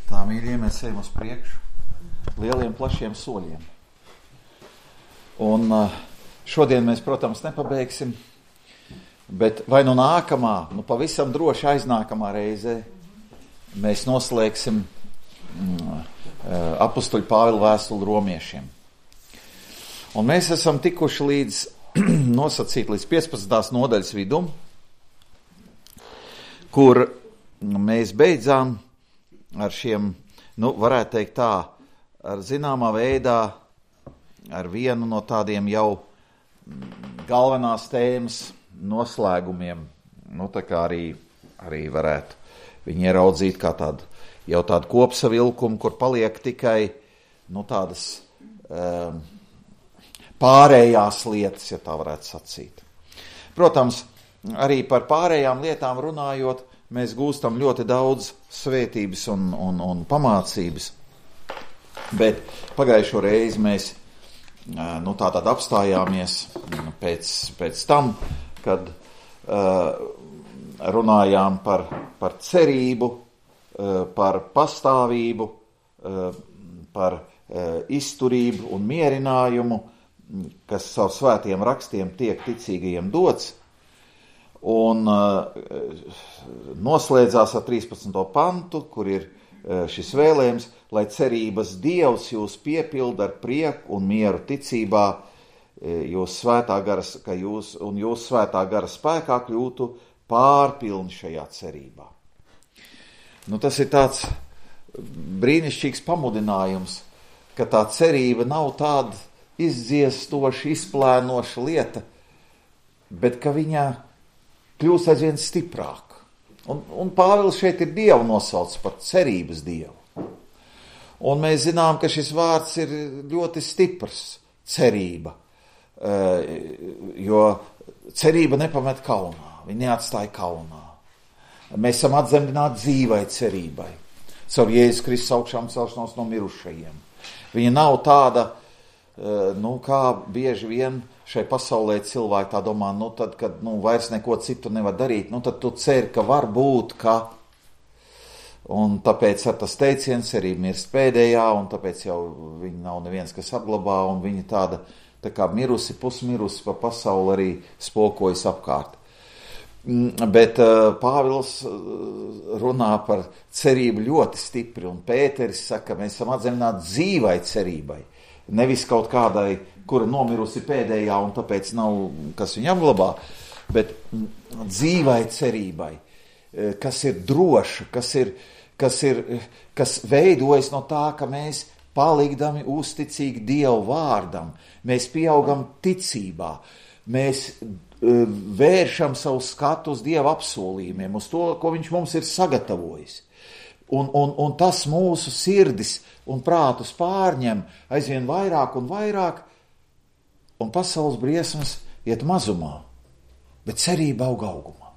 Tā, mīļie, mēs ejam uz priekšu lieliem, plašiem soļiem. Un šodien mēs, protams, nepabeigsim, bet vai nu nākamā, pavisam droši aiznākamā reizē mēs noslēgsim apustuļu Pāvila vēstuli romiešiem. Un mēs esam tikuši līdz 15. nodaļas vidum, kur mēs beidzām ar šiem, varētu teikt tā, ar zināmā veidā, ar vienu no tādiem jau galvenās tēmas noslēgumiem, tā kā arī varētu viņi ieraudzīt kā tādu kopsavilkumu, kur paliek tikai, tādas pārējās lietas, ja tā varētu sacīt. Protams, arī par pārējām lietām runājot, mēs gūstam ļoti daudz svētības un pamācības, bet pagājušo reizi mēs tātad apstājāmies pēc tam, kad runājām par cerību, par pastāvību, par izturību un mierinājumu, kas caur svētiem rakstiem tiek ticīgajiem dots, un noslēdzās ar 13. pantu, kur ir šis vēlējums, lai cerības Dievs jūs piepilda ar prieku un mieru ticībā, jūs svētā gara spēkā kļūtu pārpilni šajā cerībā. Tas ir tāds brīnišķīgs pamudinājums, ka tā cerība nav tāda izdziestoša, izplēnoša lieta, bet ka viņa kļūst aizvien stiprāk. Un Pāvils šeit ir Dievu nosaucis par cerības Dievu. Un mēs zinām, ka šis vārds ir ļoti stiprs, cerība, jo cerība nepamet kaunā, viņa neatstāja kaunā. Mēs esam atzemdināti dzīvai cerībai, caur Jēzus Kristus augšām celšanos no mirušajiem. Viņa nav tāda, kā bieži vien šai pasaulē cilvēki tā domā, tad, kad vairs neko citu nevar darīt, tad tu ceri, ka var būt, ka. Un tāpēc ar tas teiciens arī mirst pēdējā, un tāpēc jau viņa nav neviens, kas apglabā, un viņa tā kā mirusi, pusmirusi pa pasauli arī spokojas apkārt. Bet Pāvils runā par cerību ļoti stipri, un Pēteris saka, ka mēs esam atzemdināti dzīvai cerībai. Nevis kaut kādai, kura nomirusi pēdējā un tāpēc nav, kas viņu apglabā, bet dzīvai cerībai, kas ir droša, kas veidojas no tā, ka mēs palikdami uzticīgi Dievu vārdam, mēs pieaugam ticībā, mēs vēršam savu skatu uz Dieva apsolījumiem, uz to, ko viņš mums ir sagatavojis. Un tas mūsu sirdis un prātus pārņem aizvien vairāk un vairāk, un pasaules briesmas iet mazumā, bet cerība aug augumā.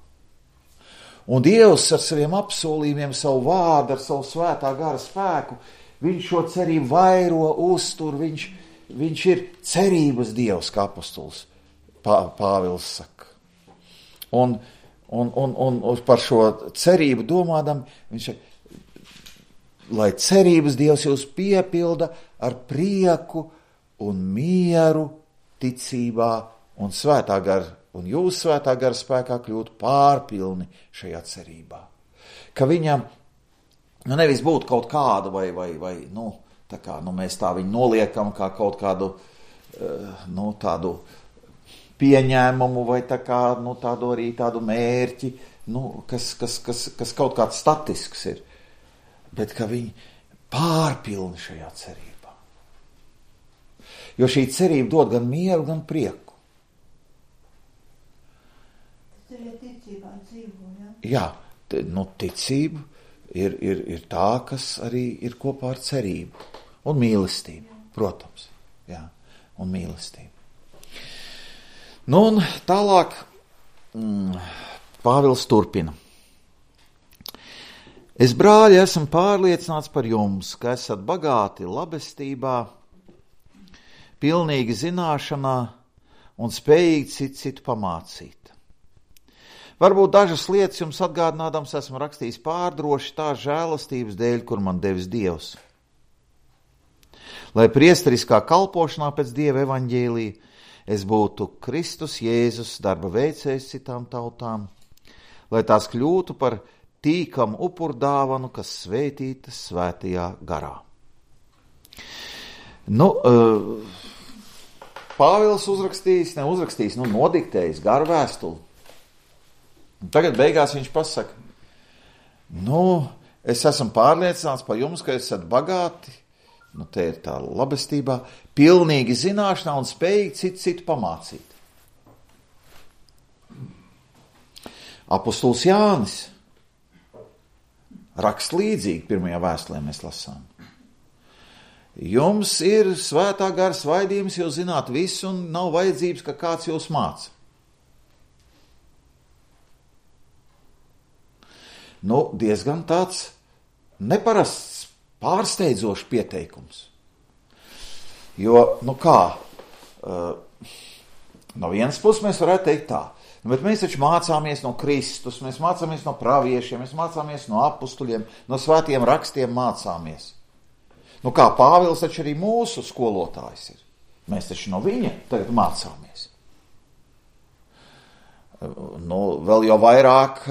Un Dievs ar saviem apsolījumiem, savu vārdu, ar savu svētā gara spēku, viņš šo cerību vairo, uztur, viņš ir cerības Dievs, kā apostols Pāvils saka. Un par šo cerību domādam, viņš saka, lai cerības Dievs jūs piepilda ar prieku un mieru ticībā un svētā gara, un jūs svētā gara spēkā kļūt pārpilni šajā cerībā. Ka viņam nevis būtu kaut kāda vai tā kā, mēs tā viņu noliekam kā kaut kādu, tādu pieņēmumu vai tā kā, tādu arī tādu mērķi, kas kaut kāds statisks ir. Bet ka viņi pārpilni šajā cerībā. Jo šī cerība dod gan mieru, gan prieku. Tas ir ticībā dzīvo, ja? Jā, ticība ir tā, kas arī ir kopā ar cerību. Un mīlestību, protams. Jā, un mīlestību. Un tālāk Pāvils turpina. Es, brāļi, esmu pārliecināts par jums, ka esat bagāti labestībā, pilnīgi zināšanā un spējīgi citu pamācīt. Varbūt dažas lietas jums atgādinādams esmu rakstījis pārdroši tā žēlastības dēļ, kur man devis Dievs. Lai priesteriskā kalpošanā pēc Dieva evaņģēlija es būtu Kristus Jēzus darba veicējs citām tautām, lai tās kļūtu par tīkamu upurdāvanu, kas svētītas svētajā garā. Pāvils neuzrakstījis, nodiktējis garu vēstuli. Tagad beigās viņš pasaka, es esmu pārliecināts par jums, ka esat bagāti, te ir tā labestībā, pilnīgi zināšanā un spējīgi citu pamācīt. Apostols Jānis raksta līdzīgi, pirmajā vēstulē mēs lasām. Jums ir svētā gara svaidījums, jūs zināt visu un nav vajadzības, ka kāds jūs māca. Diezgan tāds neparasts, pārsteidzošs pieteikums. Jo, no vienas puses mēs varētu teikt tā, bet mēs taču mācāmies no Kristus, mēs mācāmies no praviešiem, mēs mācāmies no apustuļiem, no svētiem rakstiem mācāmies. Pāvils taču arī mūsu skolotājs ir. Mēs taču no viņa tagad mācāmies. Vēl jau vairāk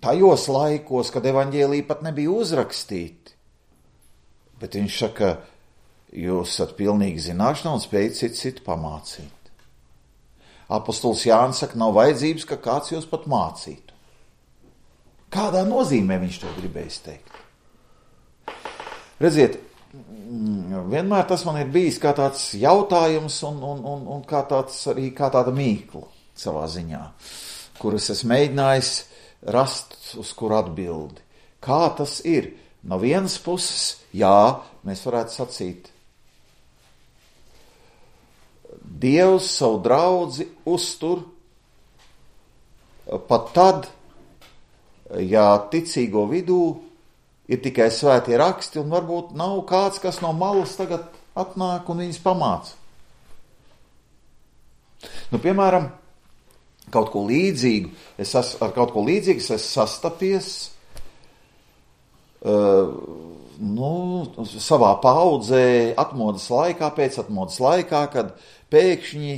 tajos laikos, kad evaņģēlija pat nebija uzrakstīti. Bet viņš saka, jūs esat pilnīgi zināšanā un spējat citu pamācīt. Apostols Jānis saka, nav vajadzības, ka kāds jūs pat mācītu. Kādā nozīmē viņš to gribējis teikt? Redziet, vienmēr tas man ir bijis kā tāds jautājums un kā tāda mīkla savā ziņā, kuras es mēģinājis rast uz kuru atbildi. Kā tas ir? No vienas puses, jā, mēs varētu sacīt, Dievs savu draudzi uztur pat tad, ja ticīgo vidū ir tikai svētie raksti un varbūt nav kāds, kas no malas tagad atnāk un viņus pamāca. Piemēram, ar kaut ko līdzīgu es sastapies savā paudzē atmodas laikā, pēc atmodas laikā, kad pēkšņi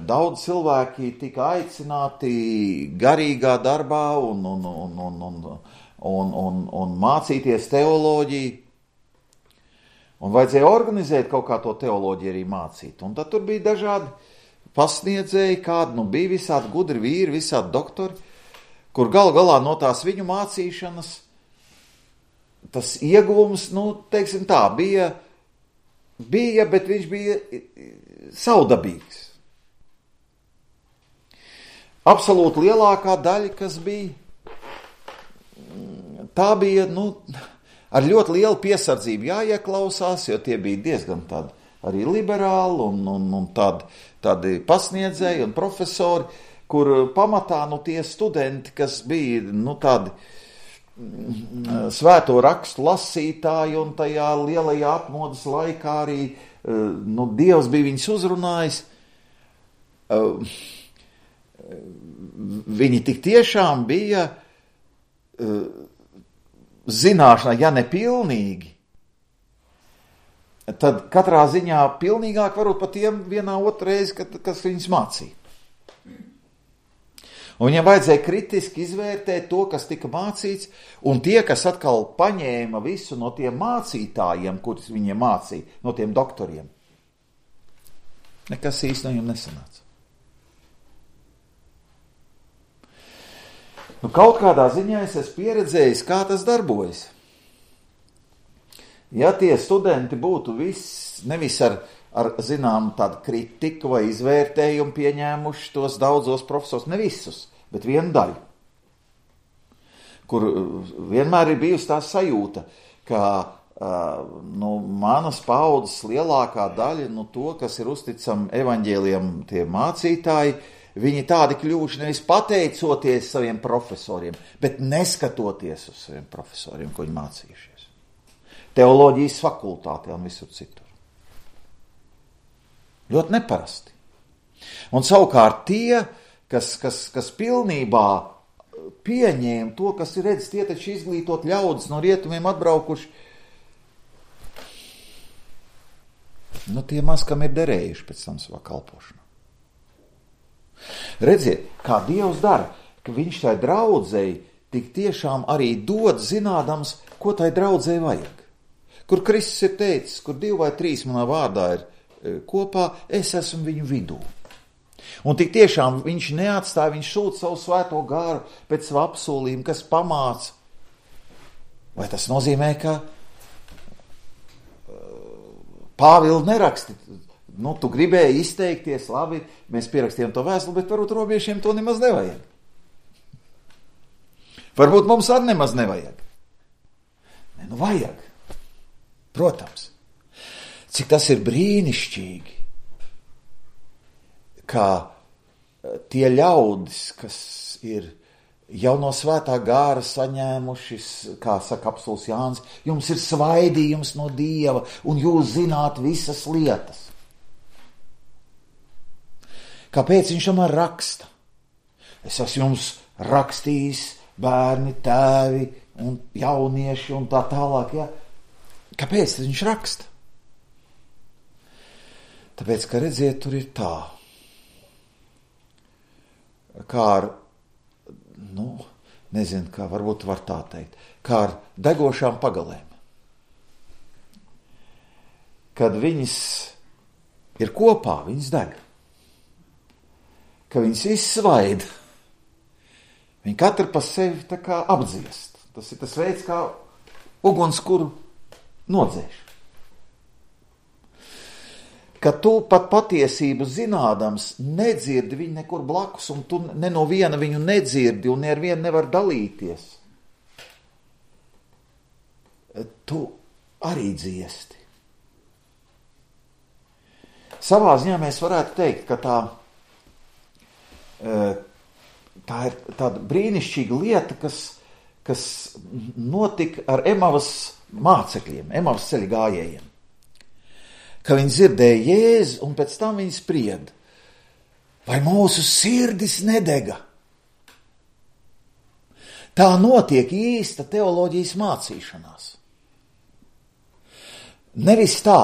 daudz cilvēki tika aicināti garīgā darbā un mācīties teoloģiju. Un vajadzēja organizēt kaut kā to teoloģiju arī mācīt. Un tad tur bija dažādi pasniedzēji, kādi bija visādi gudri vīri, visādi doktori, kur galu galā no tās viņu mācīšanas tas ieguvums, teiksim tā, bija, bet viņš bija savdabīgs. Absolūti lielākā daļa, kas bija, tā bija, ar ļoti lielu piesardzību jāieklausās, jo tie bija diezgan tādi arī liberāli un tādi pasniedzēji un profesori, kur pamatā tie studenti, kas bija tādi svēto rakstu lasītāji un tajā lielajā atmodas laikā arī Dievs bija viņus uzrunājis. Viņi tik tiešām bija zināšanā, ja ne pilnīgi, tad katrā ziņā pilnīgāk varbūt pat tiem vienā otrreiz, kas viņus mācīja. Un viņam vajadzēja kritiski izvērtēt to, kas tika mācīts, un tie, kas atkal paņēma visu no tiem mācītājiem, kurus viņiem mācīja, no tiem doktoriem, nekas īsti no viņiem nesanāca. Kaut kādā ziņā es esmu pieredzējis, kā tas darbojas. Ja tie studenti būtu nevis ar zinām tādu kritiku vai izvērtējumu pieņēmuši tos daudzos profesors, ne visus, bet vienu daļu, kur vienmēr ir bijusi tā sajūta, ka manas paudzes lielākā daļa, to, kas ir uzticami evaņģēlijam tie mācītāji, viņi tādi kļuvuši nevis pateicoties saviem profesoriem, bet neskatoties uz saviem profesoriem, ko viņi mācījušies. Teoloģijas fakultātē un visur citur. Ļoti neparasti. Un savukārt tie, kas pilnībā pieņēma to, kas ir redzis, tie taču izglītot ļaudis no rietumiem atbraukuši. Nu, tie maz, kam ir derējuši pēc tam savā kalpošanā. Redziet, kā Dievs dara, ka viņš tai draudzei tik tiešām arī dod zinādams, ko tai draudzei vajag. Kur Kristus ir teicis, kur 2 vai 3 manā vārdā ir kopā, es esmu viņu vidū. Un tik tiešām viņš neatstāja, viņš sūta savu svēto garu pēc savu apsolījumu, kas pamāca. Vai tas nozīmē, ka Pāvils neraksti? Nu, tu gribēji izteikties, labi, mēs pierakstījām to vēstuli, bet varbūt robiešiem to nemaz nevajag. Varbūt mums arī nemaz nevajag. Ne, nu vajag. Protams. Cik tas ir brīnišķīgi, kā tie ļaudis, kas ir jau no svētā gāra saņēmuši, kā saka apstulis Jānis, jums ir svaidījums no Dieva, un jūs zināt visas lietas. Kāpēc viņš tomēr raksta? Es esmu jums rakstījis, bērni, tēvi un jaunieši un tā tālāk. Ja? Kāpēc viņš raksta? Tāpēc, ka redziet, tur ir tā. Kā ar, nezinu, kā varbūt var tā teikt, kā ar degošām pagalēm. Kad viņas ir kopā, viņas deg. Ka viņas izsvaida. Viņi katru pa sevi tā kā apdziest. Tas ir tas veids, kā uguns, kuru nodzēš. Ka tu pat patiesību zinādams nedzirdi viņu nekur blakus, un tu ne no viena viņu nedzirdi, un ne ar vienu nevar dalīties. Tu arī dziesti. Savā ziņā mēs varētu teikt, ka tā ir tāda brīnišķīga lieta, kas notika ar Emavas mācekļiem, Emavas ceļa gājējiem. Ka viņi dzirdēja Jēzu, un pēc tam viņi sprieda, vai mūsu sirdis nedega. Tā notiek īsta teoloģijas mācīšanās. Nevis tā,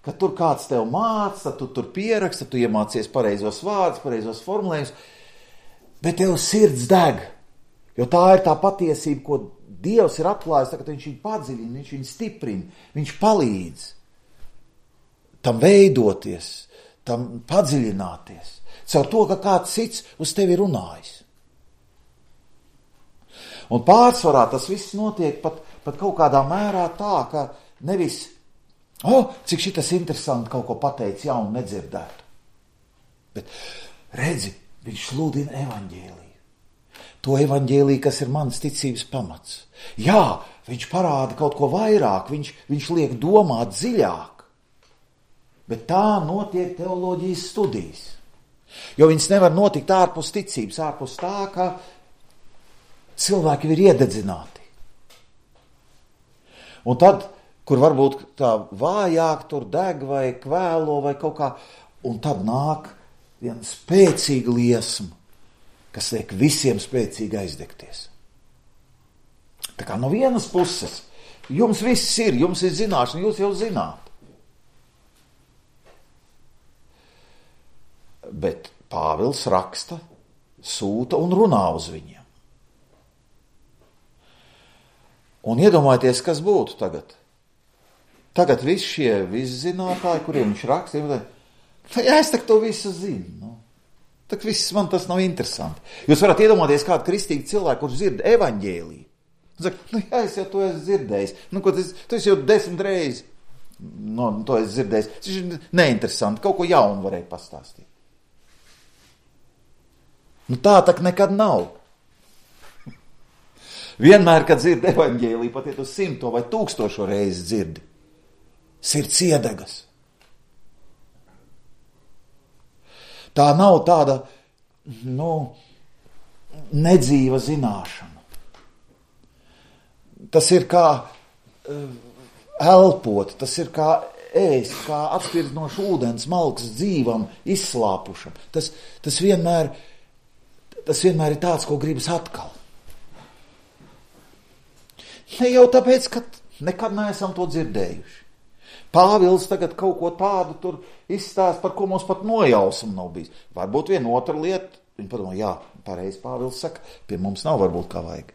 ka tur kāds tev māca, tu tur pieraksta, tu iemācies pareizos vārdus, pareizos formulējumus, bet tev sirds deg, jo tā ir tā patiesība, ko Dievs ir atklājis, ka viņš viņu padziļina, viņš viņu stiprina, viņš palīdz tam veidoties, tam padziļināties, caur to, ka kāds cits uz tevi runājis. Un pārsvarā tas viss notiek pat kaut kādā mērā tā, ka nevis, cik šitas interesanti kaut ko pateic jaunu nedzirdētu. Bet redzi, viņš sludina evaņģēliju. To evaņģēliju, kas ir mans ticības pamats. Jā, viņš parāda kaut ko vairāk, viņš liek domāt dziļāk. Bet tā notiek teoloģijas studijas. Jo viņas nevar notikt ārpus ticības, ārpus tā, ka cilvēki ir iededzināti. Un tad, kur varbūt tā vājāk tur deg vai kvēlo vai kaut kā, un tad nāk viena spēcīga liesma, kas liek visiem spēcīgi aizdegties. Tā kā no vienas puses, jums viss ir, jums ir zināšana, jūs jau zināt. Bet Pāvils raksta, sūta un runā uz viņiem. Un iedomājieties, kas būtu tagad. Tagad visi šie viszinātāji, kuriem viņš raksta, jā, es tak to visu zinu. Tak viss man tas nav interesanti. Jūs varat iedomāties kādu kristīgu cilvēku, kurš dzird evaņģēliju. Un saka, jā, es jau to esmu dzirdējis. Tu esi jau 10 reizes. To esmu dzirdējis. Tas ir neinteresanti, kaut ko jaunu varēja pastāstīt. Tā tak nekad nav. Vienmēr, kad dzird evaņģēliju, pat ja tu 100 vai 1000 reizi dzirdi, sirds iedegas. Tā nav tāda, nedzīva zināšana. Tas ir kā elpot, tas ir kā ēst, kā atspirdinošs ūdens, malks dzīvam, izslāpušam. Tas vienmēr tas vienmēr ir tāds, ko gribas atkal. Ne jau tāpēc, ka nekad neesam to dzirdējuši. Pāvils tagad kaut ko tādu tur izstāst, par ko mums pat nojausma nav bijis. Varbūt viena otra lieta, viņi padomā, jā, pareizi Pāvils saka, pie mums nav varbūt kā vajag.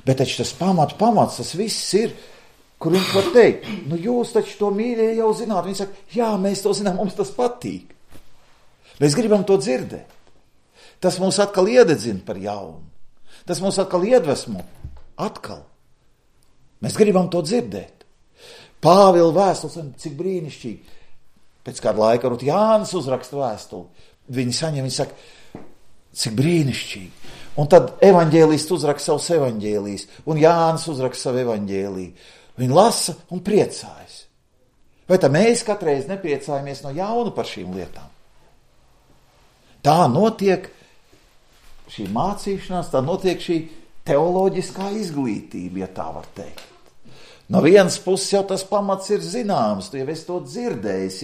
Bet taču tas pamats, tas viss ir, kur viņš var teikt, nu jūs taču to mīļie jau zināt. Viņi saka, jā, mēs to zinām, mums tas patīk. Mēs gribam to dzirdēt. Tas mūs atkal iededzina par jaunu. Tas mūs atkal iedvesmo. Atkal. Mēs gribam to dzirdēt. Pāvila vēstules, cik brīnišķīgi. Pēc kāda laika varbūt Jānis uzraksta vēstuli. Viņi saņem, viņi saka, cik brīnišķīgi. Un tad evaņģēlists uzraksta savus evaņģēlijus, un Jānis uzraksta savu evaņģēliju. Viņi lasa un priecājas. Vai tā mēs katreiz nepriecājamies no jauna par šīm lietām? Tā notiek šī mācīšanās, tā notiek šī teoloģiskā izglītība, ja tā var teikt. No vienas puses jau tas pamats ir zināms, tu jau esi to dzirdējis,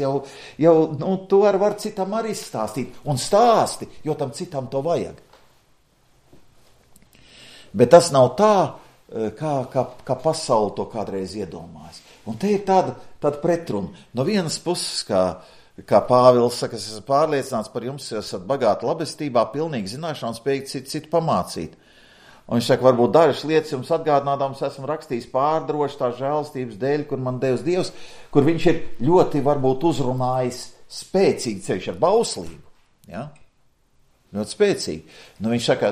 jau tu var citam arī stāstīt, un stāsti, jo tam citam to vajag. Bet tas nav tā, kā pasauli to kādreiz iedomājas. Un te ir tāda pretruna. No vienas puses, kā Pāvils saka, es esmu pārliecināts par jums, jūs esat bagāti labestībā, pilnīgi zināšanā un spējīgi citu pamācīt. Un viņš saka, varbūt dažas lietas jums atgādinādams esmu rakstījis pārdroši tā žēlstības dēļ, kur man devis Dievs, kur viņš ir ļoti varbūt uzrunājis spēcīgi ceļš ar bauslību. Ja? Ļoti spēcīgi. Nu, viņš saka,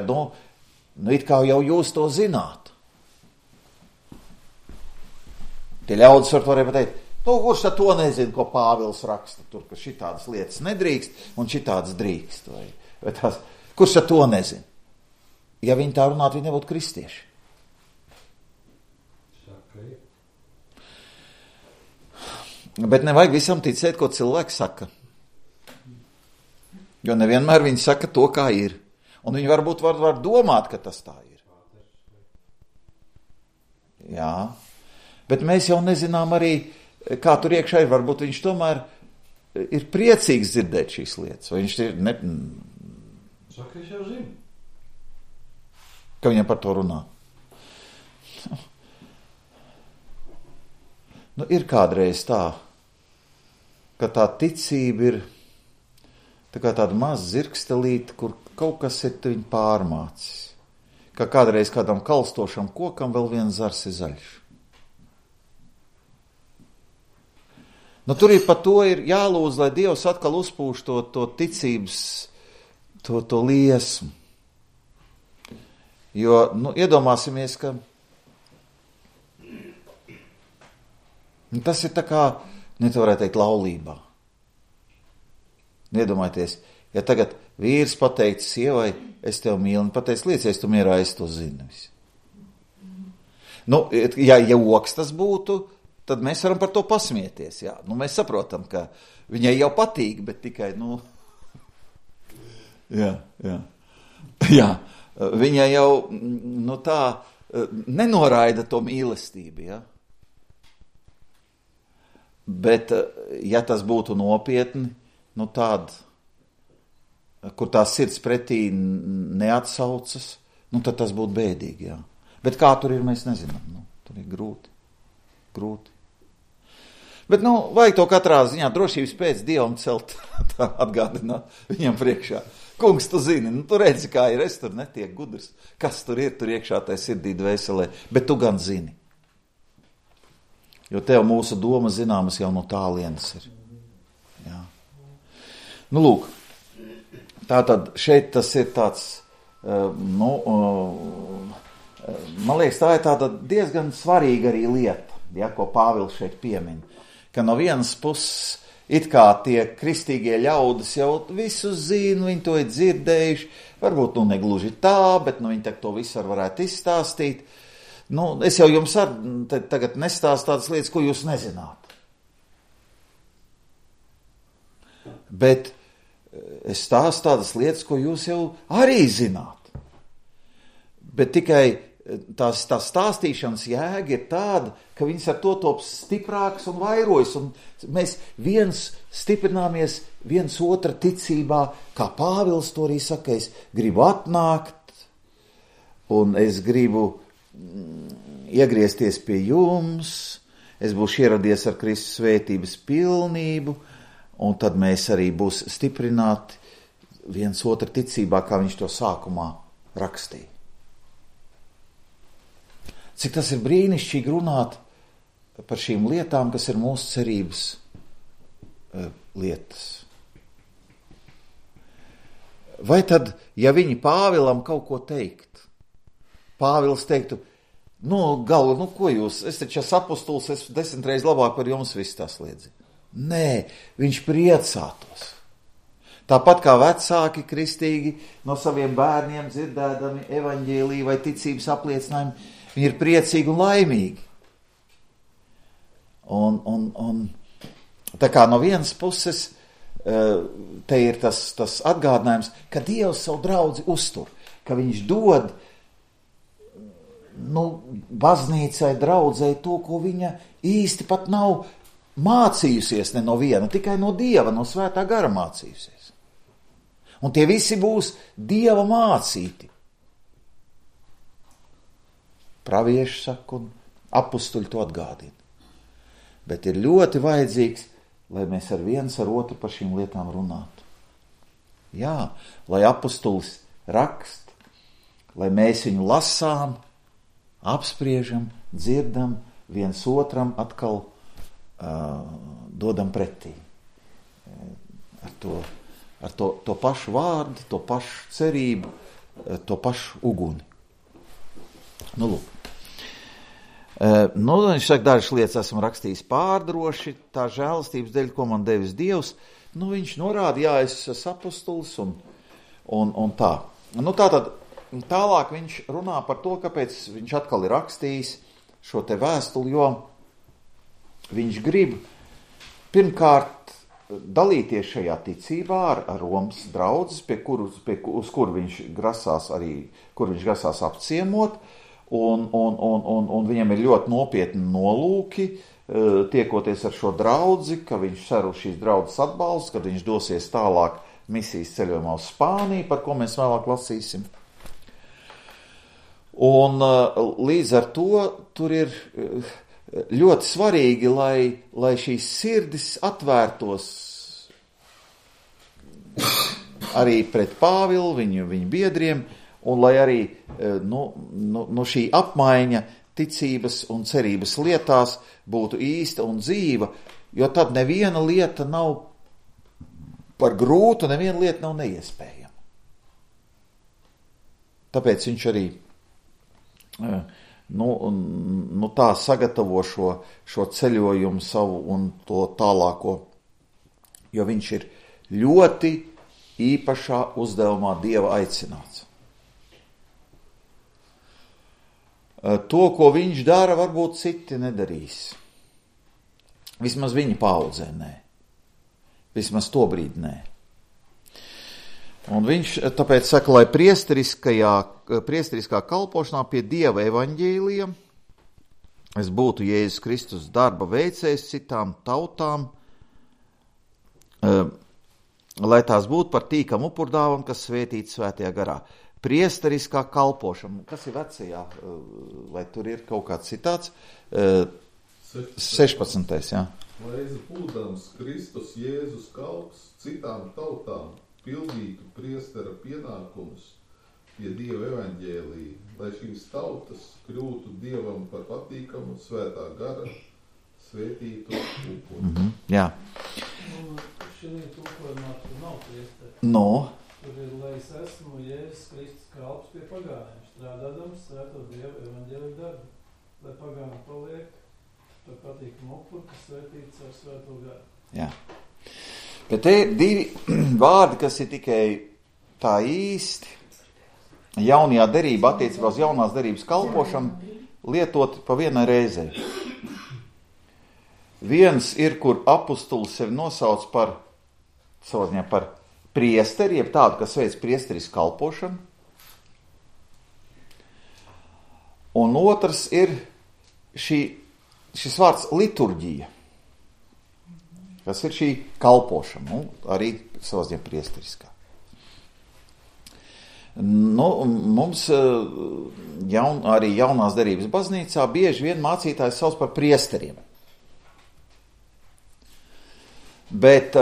it kā jau jūs to zināt. Tie ļaudis varēja pateikt, kurš tad to nezina, ko Pāvils raksta, tur, ka šitādas lietas nedrīkst un šitādas drīkst. Vai tās, kurš tad to nezina? Ja viņi tā runātu, viņi nebūtu kristieši. Bet nevajag visam ticēt, ko cilvēki saka. Jo nevienmēr viņi saka to, kā ir. Un viņi varbūt var domāt, ka tas tā ir. Jā. Bet mēs jau nezinām arī, kā tur iekšā ir. Varbūt viņš tomēr ir priecīgs dzirdēt šīs lietas. Vai viņš ir... Saka, es jau zinu. Ka viņam par to runā. Nu, ir kādreiz tā, ka tā ticība ir tā kā tāda maza zirgstelīte, kur kaut kas ir viņu pārmācis. Kā kādreiz kādam kalstošam kokam vēl viens zars ir zaļš. Nu, tur ir par to ir jālūdz, lai Dievs atkal uzpūš to ticības, to liesmu. Jo, iedomāsimies, ka tas ir tā kā, varētu teikt, laulībā. Iedomājieties, ja tagad vīrs pateica sievai, es tev mīlu, un pateica, liecies tu mierā, es to zinu. Ja joks tas būtu, tad mēs varam par to pasmieties. Jā. Mēs saprotam, ka viņai jau patīk, bet tikai, Jā. Viņa jau tā nenoraida to mīlestību. Ja? Bet, ja tas būtu nopietni, tāda, kur tā sirds pretī neatsaucas, tad tas būtu bēdīgi. Jā. Bet kā tur ir, mēs nezinām. Tur ir grūti. Bet, vajag to katrā ziņā drošības pēc Dievam celt, tā atgādināt viņam priekšā. Kungs, tu zini, tu redzi, kā ir, es tur netiek gudrs. Kas tur ir, tur iekšā tai sirdī dvēselē, bet tu gan zini. Jo tev mūsu doma zināmas jau no tālienes ir. Jā. Lūk, tātad šeit tas ir tāds, man liekas, tā ir tāda diezgan svarīga arī lieta, ja, ko Pāvils šeit piemin. Ka no vienas puses, it kā tie kristīgie ļaudis jau visu zina, viņi to ir dzirdējuši, varbūt negluži tā, bet viņi to visu varētu izstāstīt. Es jau jums tagad nestāstu tādas lietas, ko jūs nezināt. Bet es stāstu tādas lietas, ko jūs jau arī zināt. Bet tikai tās stāstīšanas jēga ir tāda, ka viņas ar to top stiprāks un vairojas, un mēs viens stiprināmies viens otra ticībā, kā Pāvils to arī saka, es gribu atnākt, un es gribu iegriezties pie jums, es būšu ieradies ar Kristus svētības pilnību, un tad mēs arī būs stiprināti viens otra ticībā, kā viņš to sākumā rakstīja. Cik tas ir brīnišķīgi runāt par šīm lietām, kas ir mūsu cerības lietas. Vai tad, ja viņi Pāvilam kaut ko teikt, Pāvils teiktu, ko jūs, es taču esmu apostols, es 10 reizes labāk par jums viss tas liedzi. Nē, viņš priecātos. Tāpat kā vecāki kristīgi no saviem bērniem dzirdēdami evaņģēliju vai ticības apliecinājumu, viņi ir priecīgi un laimīgi. Un tā kā no vienas puses te ir tas atgādinājums, ka Dievs savu draudzi uztur, ka viņš dod baznīcai, draudzei to, ko viņa īsti pat nav mācījusies ne no viena, tikai no Dieva, no Svētā gara mācījusies. Un tie visi būs Dieva mācīti. Pravieši saka, un apustuļi to atgādina. Bet ir ļoti vajadzīgs, lai mēs viens ar otru par šīm lietām runātu. Jā, lai apustulis rakst, lai mēs viņu lasām, apspriežam, dzirdam, viens otram atkal dodam pretī. Ar to pašu vārdu, to pašu cerību, to pašu uguni. Lūk. Viņš saka, dažas lietas esmu rakstījis pārdroši, tā žēlastības dēļ, ko man devis Dievs. Viņš norāda, jā, es esmu apostols un tā. Tātad tālāk viņš runā par to, kāpēc viņš atkal ir rakstījis šo te vēstuli, jo viņš grib pirmkārt dalīties šajā ticībā ar Romas draudzes, uz kur viņš grasās apciemot, un viņam ir ļoti nopietni nolūki, tiekoties ar šo draudzi, ka viņš cer uz šīs draudzes atbalstu, kad viņš dosies tālāk misijas ceļojumā uz Spāniju, par ko mēs vēlāk lasīsim. Un līdz ar to tur ir ļoti svarīgi, lai šīs sirdis atvērtos arī pret Pāvilu, viņu biedriem, un lai arī šī apmaiņa ticības un cerības lietās būtu īsta un dzīva, jo tad neviena lieta nav par grūtu, neviena lieta nav neiespējama. Tāpēc viņš arī tā sagatavo šo ceļojumu savu un to tālāko, jo viņš ir ļoti īpašā uzdevumā Dieva aicināts. To, ko viņš dara, varbūt citi nedarīs. Vismaz viņa paaudzē nē. Vismaz to brīdi nē. Un viņš tāpēc saka, lai priesteriskā kalpošanā pie Dieva evaņģēlija es būtu Jēzus Kristus darba veicējs citām tautām, lai tās būtu par tīkamu upurdāvam, kas svētīts svētajā garā. Priesteriskā kalpošana. Kas ir vecajā? Vai tur ir kaut kāds citāts? 16. Jā. Lai būdams Kristus Jēzus kalps citām tautām pildītu priestera pienākumus pie Dieva evaņģēlija, lai šīs tautas kļūtu Dievam par patīkamu svētā gara svētītu upuri. Jā. Šī tulkojumā tur nav priesteri. Tur ir, lai es esmu Jēzus Kristus kalps pie pagāniem, strādādams svēto Dievu evaņģēliju darbu, lai pagāni paliek par patīkamu upuri, kas svētīts ar svēto garu. Jā. Bet te ir divi vārdi, kas ir tikai tā īsti jaunajā derībā, attiecībā uz jaunās derības kalpošanu, lietoti pa vienai reizei. Viens ir, kur apustulis sevi nosauc par priesteri, jeb tādu, kas veic priesteris kalpošanu. Un otrs ir šis vārds liturģija, kas ir šī kalpošana, arī savas ziņā priesteriskā. Mums arī jaunās derības baznīcā bieži vien mācītājs sauc par priesteriem. Bet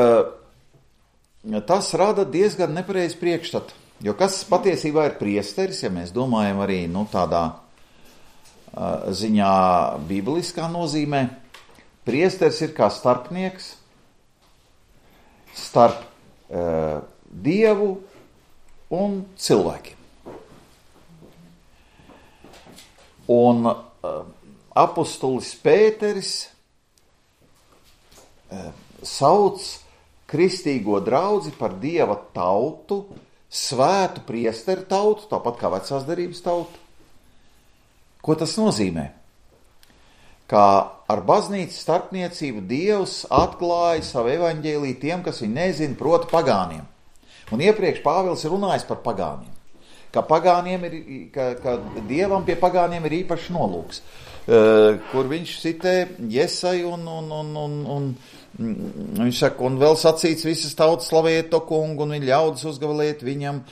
tas rada diezgan nepareizi priekšstatu, jo kas patiesībā ir priesteris, ja mēs domājam arī tādā ziņā bībeliskā nozīmē, priesteris ir kā starpnieks starp Dievu un cilvēkiem. Un apostolis Pēteris sauc kristīgo draudzi par Dieva tautu, svētu priesteru tautu, tāpat kā vecās derības tautu. Ko tas nozīmē? Kā ar baznīcas starpniecību Dievs atklāja savu evaņģēliju tiem, kas viņu nezina, proti pagāniem. Un iepriekš Pāvils ir runājis par pagāniem. Ka Dievam pie pagāniem ir īpašs nolūks, kur viņš citē Jesaju un viņš saka, un vēl sacīts visas tautas slavējiet to kungu un viņa ļaudis uzgavilēt viņam.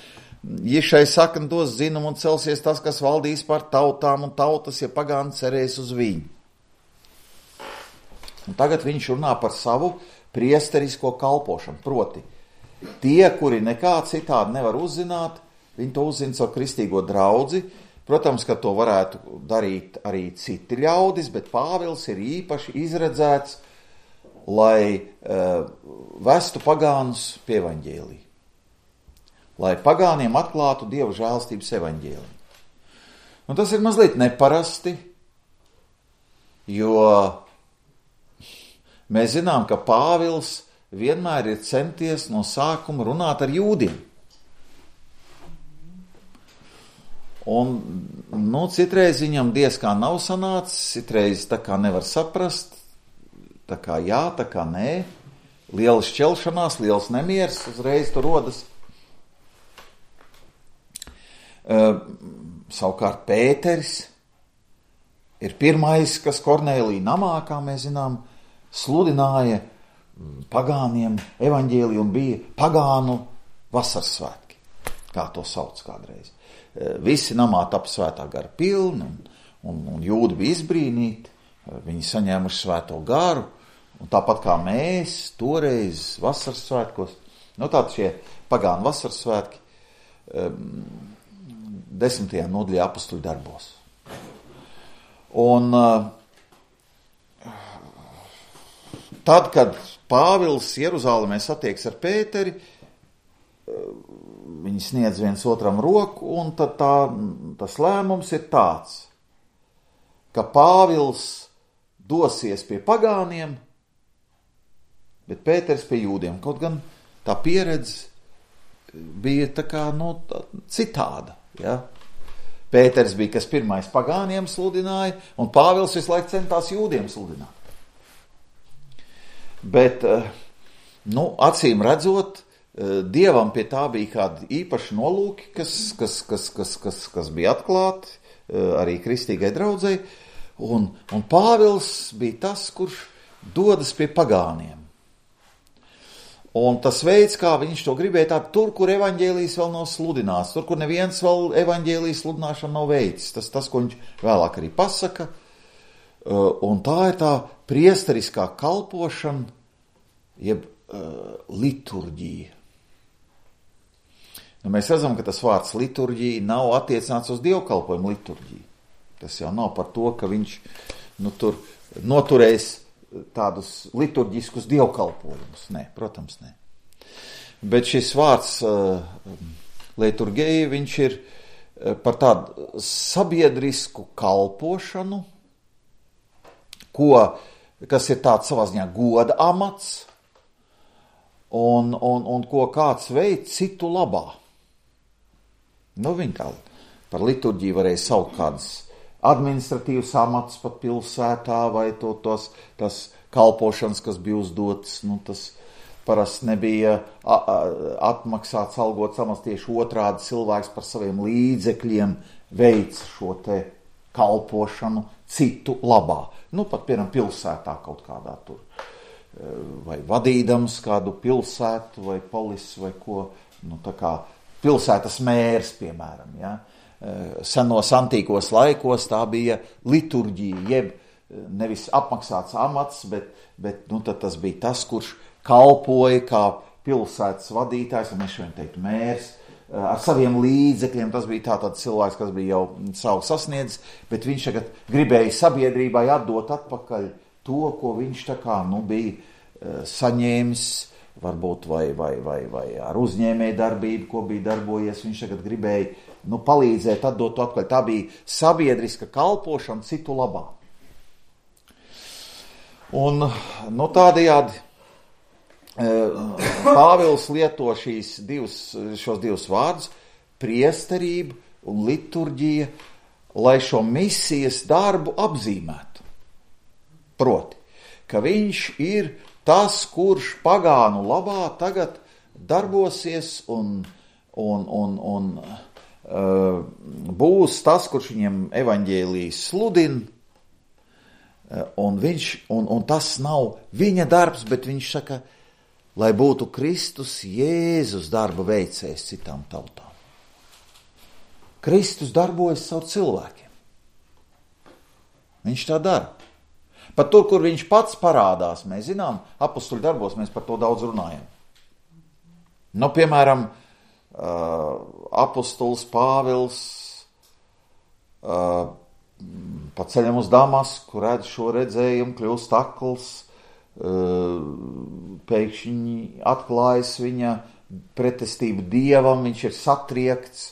Ješai sakam dos zinumu un celsies tas, kas valdīs par tautām un tautas, ja pagāni cerēs uz viņu. Un tagad viņš runā par savu priesterisko kalpošanu, proti tie, kuri nekā citādi nevar uzzināt, viņi to uzzina caur kristīgo draudzi. Protams, ka to varētu darīt arī citi ļaudis, bet Pāvils ir īpaši izredzēts, lai vestu pagānus pie evaņģēlija. Lai pagāniem atklātu Dieva žēlstības evaņģēliju. Un tas ir mazliet neparasti, jo mēs zinām, ka Pāvils vienmēr ir centies no sākuma runāt ar jūdiem. Un, citreiz viņam diez kā nav sanācis, citreiz tā kā nevar saprast, tā kā jā, tā kā nē, liela šķelšanās, liels nemieris uzreiz tur rodas. Savukārt Pēteris ir pirmais, kas Kornēlija namā, kā mēs zinām, sludināja pagāniem evaņģēliju un bija pagānu vasaras svētki, kā to sauc kādreiz. Visi namā tapa svētā gara pilni un jūdi bija izbrīnīti, viņi saņēmuši svēto garu, un tāpat kā mēs toreiz vasaras svētkos, tātad šie pagānu vasaras svētki 10. nodaļā apostoļu darbos. Un tad, kad Pāvils Jeruzālemē satiekas ar Pēteri, viņi sniedz viens otram roku, un tad tas lēmums ir tāds, ka Pāvils dosies pie pagāniem, bet Pēters pie jūdiem. Kaut gan tā pieredze bija tā kā citāda. Ja? Pēters bija, kas pirmais pagāniem sludināja, un Pāvils visu laiku centās jūdiem sludināt. Bet, acīm redzot, Dievam pie tā bija kādi īpaši nolūki, kas bija atklāti arī kristīgai draudzei, un Pāvils bija tas, kurš dodas pie pagāniem. Un tas veids, kā viņš to gribēja, tur, kur evaņģēlijs vēl nav sludināts, tur, kur neviens vēl evaņģēlijas sludināšana nav veicis, tas, ko viņš vēlāk arī pasaka, un tā ir tā priesteriskā kalpošana, jeb liturģija. Mēs redzam, ka tas vārds liturģija nav attiecināts uz dievkalpojumu liturģiju. Tas jau nav par to, ka viņš tur noturēs tādus liturģiskus dievkalpojumus. Nē, protams, nē. Bet šis vārds liturģija, viņš ir par tādu sabiedrisku kalpošanu, kas ir tāds savā ziņā goda amats, un ko kāds veids citu labā. Viņi kā par liturģiju varēja saukt kādas administratīvas amats pat pilsētā, vai tas kalpošanas, kas bija uzdotas, tas parasti nebija atmaksāts, algots amats, tieši otrādi cilvēks par saviem līdzekļiem veic šo te kalpošanu citu labā. Pat, piemēram, pilsētā kaut kādā tur. Vai vadīdams kādu pilsētu vai polisu vai ko. Tā kā pilsētas mērs, piemēram. Ja? Senos antīkos laikos tā bija liturģija, jeb nevis apmaksāts amats, bet tad tas bija tas, kurš kalpoja kā pilsētas vadītājs, un mēs šodien teiktu mērs, ar saviem līdzekļiem. Tas bija tāds cilvēks, kas bija jau savu sasniedzis, bet viņš tagad gribēja sabiedrībai atdot atpakaļ to, ko viņš bija saņēmis, varbūt vai ar uzņēmēju darbību, ko bija darbojies. Viņš tagad gribēja palīdzēt atdot to atpakaļ. Tā bija sabiedriska kalpošana citu labā. Un tādējādi Pāvils lieto šos divus vārdus, priesterība un liturģija, lai šo misijas darbu apzīmētu. Proti, ka viņš ir tas, kurš pagānu labā tagad darbosies un būs tas, kurš viņiem evaņģēliju sludina, un tas nav viņa darbs, bet viņš saka, lai būtu Kristus Jēzus darba veicējs citām tautām. Kristus darbojas caur cilvēkiem. Viņš tā dara. Pat tur, kur viņš pats parādās, mēs zinām, apostuļu darbos mēs par to daudz runājam. Piemēram, apostuls Pāvils pa ceļam uz Damasku redz šo redzējumu, kļūst akls, pēkšņi atklājas viņa pretestību Dievam, viņš ir satriekts,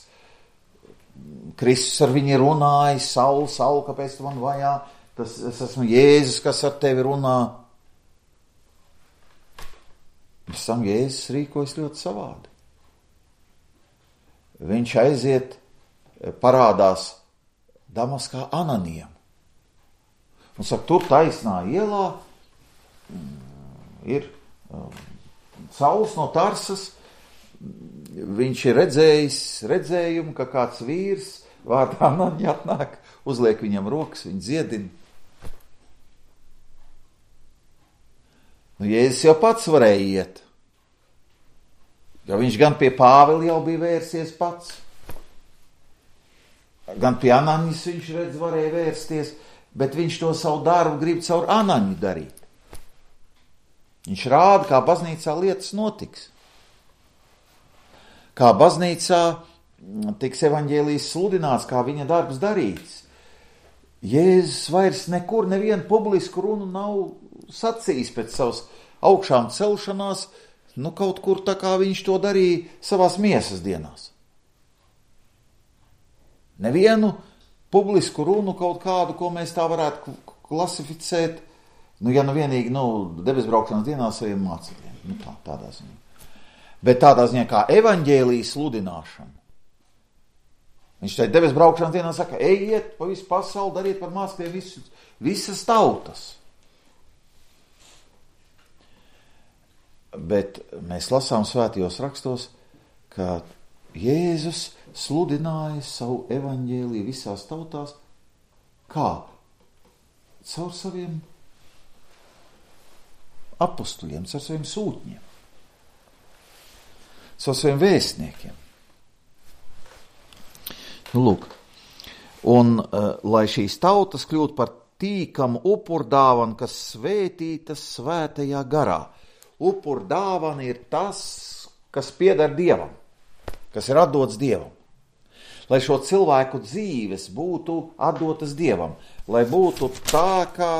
Kristus ar viņu runāja, Saul, kāpēc tu man vajā? Es esmu Jēzus, kas ar tevi runā. Pēc tam Jēzus rīkojas ļoti savādi. Viņš aiziet, parādās Damaskā Ananijam. Un saka, tur taisnā ielā ir Sauls no Tarsas. Viņš ir redzējis redzējumu, ka kāds vīrs vārdā Anani atnāk, uzliek viņam rokas, viņu dziedina. Jēzus jau pats varēja iet, jo viņš gan pie Pāvila jau bija vērsies pats, gan pie Anaņas viņš redz varēja vērsties, bet viņš to savu darbu grib caur Anaņu darīt. Viņš rāda, kā baznīcā lietas notiks. Kā baznīcā tiks evaņģēlijs sludināts, kā viņa darbs darīts. Jēzus vairs nekur nevienu publisku runu nav sacījis pēc savas augšām celšanās, kaut kur tā kā viņš to darīja savās miesas dienās. Nevienu publisku runu kaut kādu, ko mēs tā varētu klasificēt, ja vienīgi, debesbraukšanas dienā saviem mācekļiem. Tādā ziņā. Bet tādā ziņā kā evaņģēlijas sludināšana. Viņš teica, debesbraukšanas dienā saka, ejiet pa visu pasauli, dariet par mācekļiem visas tautas. Bet mēs lasām svētajos rakstos, ka Jēzus sludināja savu evaņģēliju visās tautās, kā? Caur saviem apostuļiem, caur saviem sūtņiem, caur saviem vēstniekiem. Lūk, un lai šīs tautas kļūtu par tīkamu upurdāvanu, kas svētītas svētajā garā. Upurdāvana ir tas, kas pieder Dievam, kas ir atdots Dievam. Lai šo cilvēku dzīves būtu atdotas Dievam, lai būtu tā, kā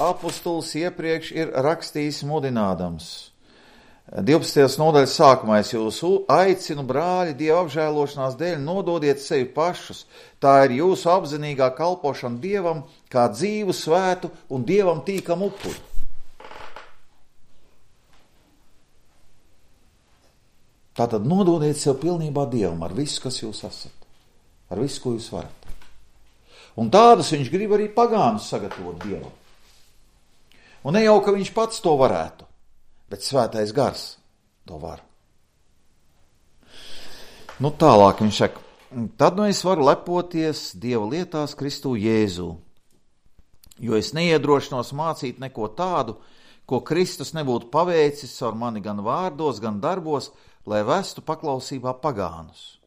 apostols iepriekš ir rakstījis mudinādams. 12. nodaļas sākumā es jūs aicinu, brāļi, Dieva apžēlošanās dēļ nododiet sevi pašus. Tā ir jūsu apzinīgā kalpošana Dievam, kā dzīvu, svētu un Dievam tīkamu upuri. Tātad nododiet sev pilnībā Dievam ar visu, kas jūs esat, ar visu, ko jūs varat. Un tādus viņš grib arī pagānus sagatavot Dievam. Un ne jau, ka viņš pats to varētu, bet svētais gars to var. Tālāk viņš saka, tad es varu lepoties Dieva lietās Kristū Jēzū, jo es neiedrošinos mācīt neko tādu, ko Kristus nebūtu paveicis ar mani gan vārdos, gan darbos, lai vestu paklausībā pagānus.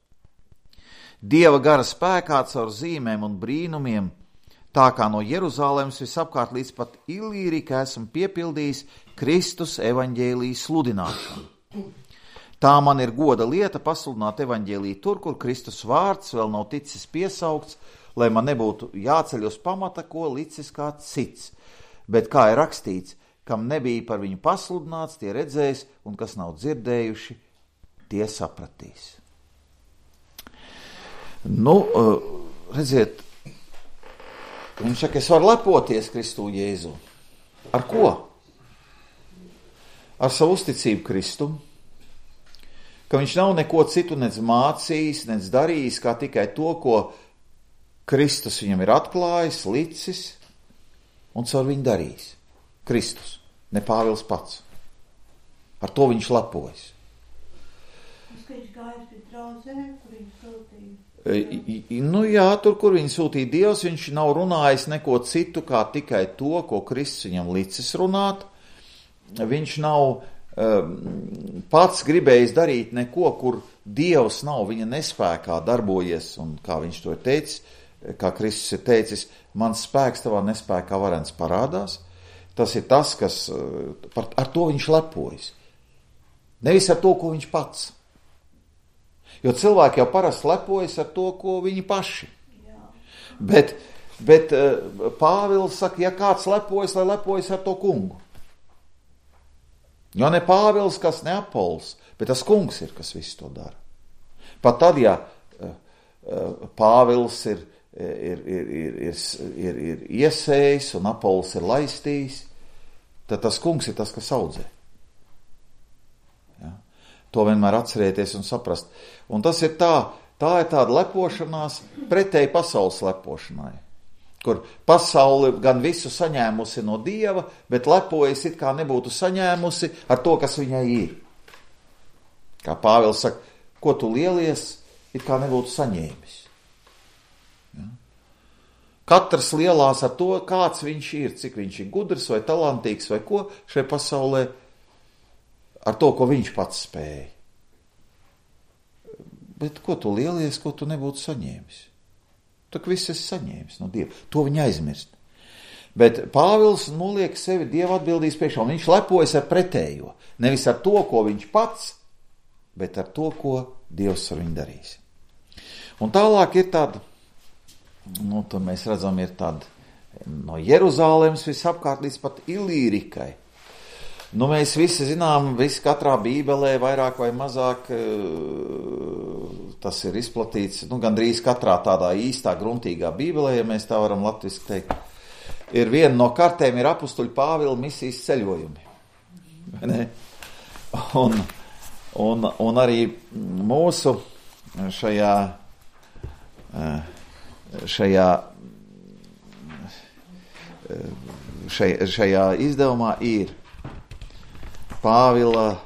Dieva gara spēkā caur zīmēm un brīnumiem, tā kā no Jeruzālēmas visapkārt līdz pat Ilīrikai esmu piepildījis Kristus evaņģēlijas sludināšanu. Tā man ir goda lieta pasludināt evaņģēliju tur, kur Kristus vārds vēl nav ticis piesaukts, lai man nebūtu jāceļ uz pamata, ko licis kāds cits. Bet kā ir rakstīts, kam nebija par viņu pasludināts, tie redzēs, un kas nav dzirdējuši, tie sapratīs. Redziet, viņš saka, es varu lepoties Kristū Jēzu. Ar ko? Ar savu uzticību Kristum, ka viņš nav neko citu nec mācījis, nec darījis, kā tikai to, ko Kristus viņam ir atklājis, licis, un caur viņu darījis. Kristus, ne Pāvils pats. Ar to viņš lepojas. Viņš gājas pie draudzēm, kur viņš sūtīja. Jā, tur, kur viņu sūtīja Dievs, viņš nav runājis neko citu, kā tikai to, ko Kristus viņam licis runāt. Viņš nav pats gribējis darīt neko, kur Dievs nav viņa nespēkā darbojies, un kā viņš to ir teicis, kā Kristus ir teicis, mans spēks tavā nespēkā varens parādās. Tas ir tas, kas ar to viņš lepojas. Nevis ar to, ko viņš pats. Jo cilvēki jau parasti lepojas ar to, ko viņi paši. Bet Pāvils saka, ja kāds lepojas, lai lepojas ar to kungu. Jo ne Pāvils, kas ne Apols, bet tas kungs ir, kas visu to dara. Pat tad, ja Pāvils ir iesējis un Apols ir laistījis, tad tas kungs ir tas, kas audzē. Ja? To vienmēr atcerēties un saprast. Un tas ir tā ir tāda lepošanās pretēji pasaules lepošanai, kur pasaule gan visu saņēmusi no Dieva, bet lepojas it kā nebūtu saņēmusi ar to, kas viņai ir. Kā Pāvils saka, ko tu lielies, it kā nebūtu saņēmis. Ja? Katrs lielās ar to, kāds viņš ir, cik viņš ir gudrs vai talantīgs vai ko šai pasaulē, ar to, ko viņš pats spēja. Bet ko tu lielies, ko tu nebūtu saņēmis? Tak viss esi saņēmis no Dieva. To viņa aizmirst. Bet Pāvils noliek sevi Dieva atbildīs priekšā, un viņš lepojas ar pretējo. Nevis ar to, ko viņš pats, bet ar to, ko Dievs ar viņu darīs. Un tālāk ir tāda, tur mēs redzam, ir tāda no Jeruzālēmas visapkārt līdz pat Ilīrikai. Mēs visi zinām, katrā bībelē vairāk vai mazāk tas ir izplatīts, gandrīz katrā tādā īstā, gruntīgā bībelē, ja mēs tā varam latviski teikt. Ir viena no kartēm ir apustuļa Pāvila misijas ceļojumi. Un arī mūsu šajā izdevumā ir Pāvila,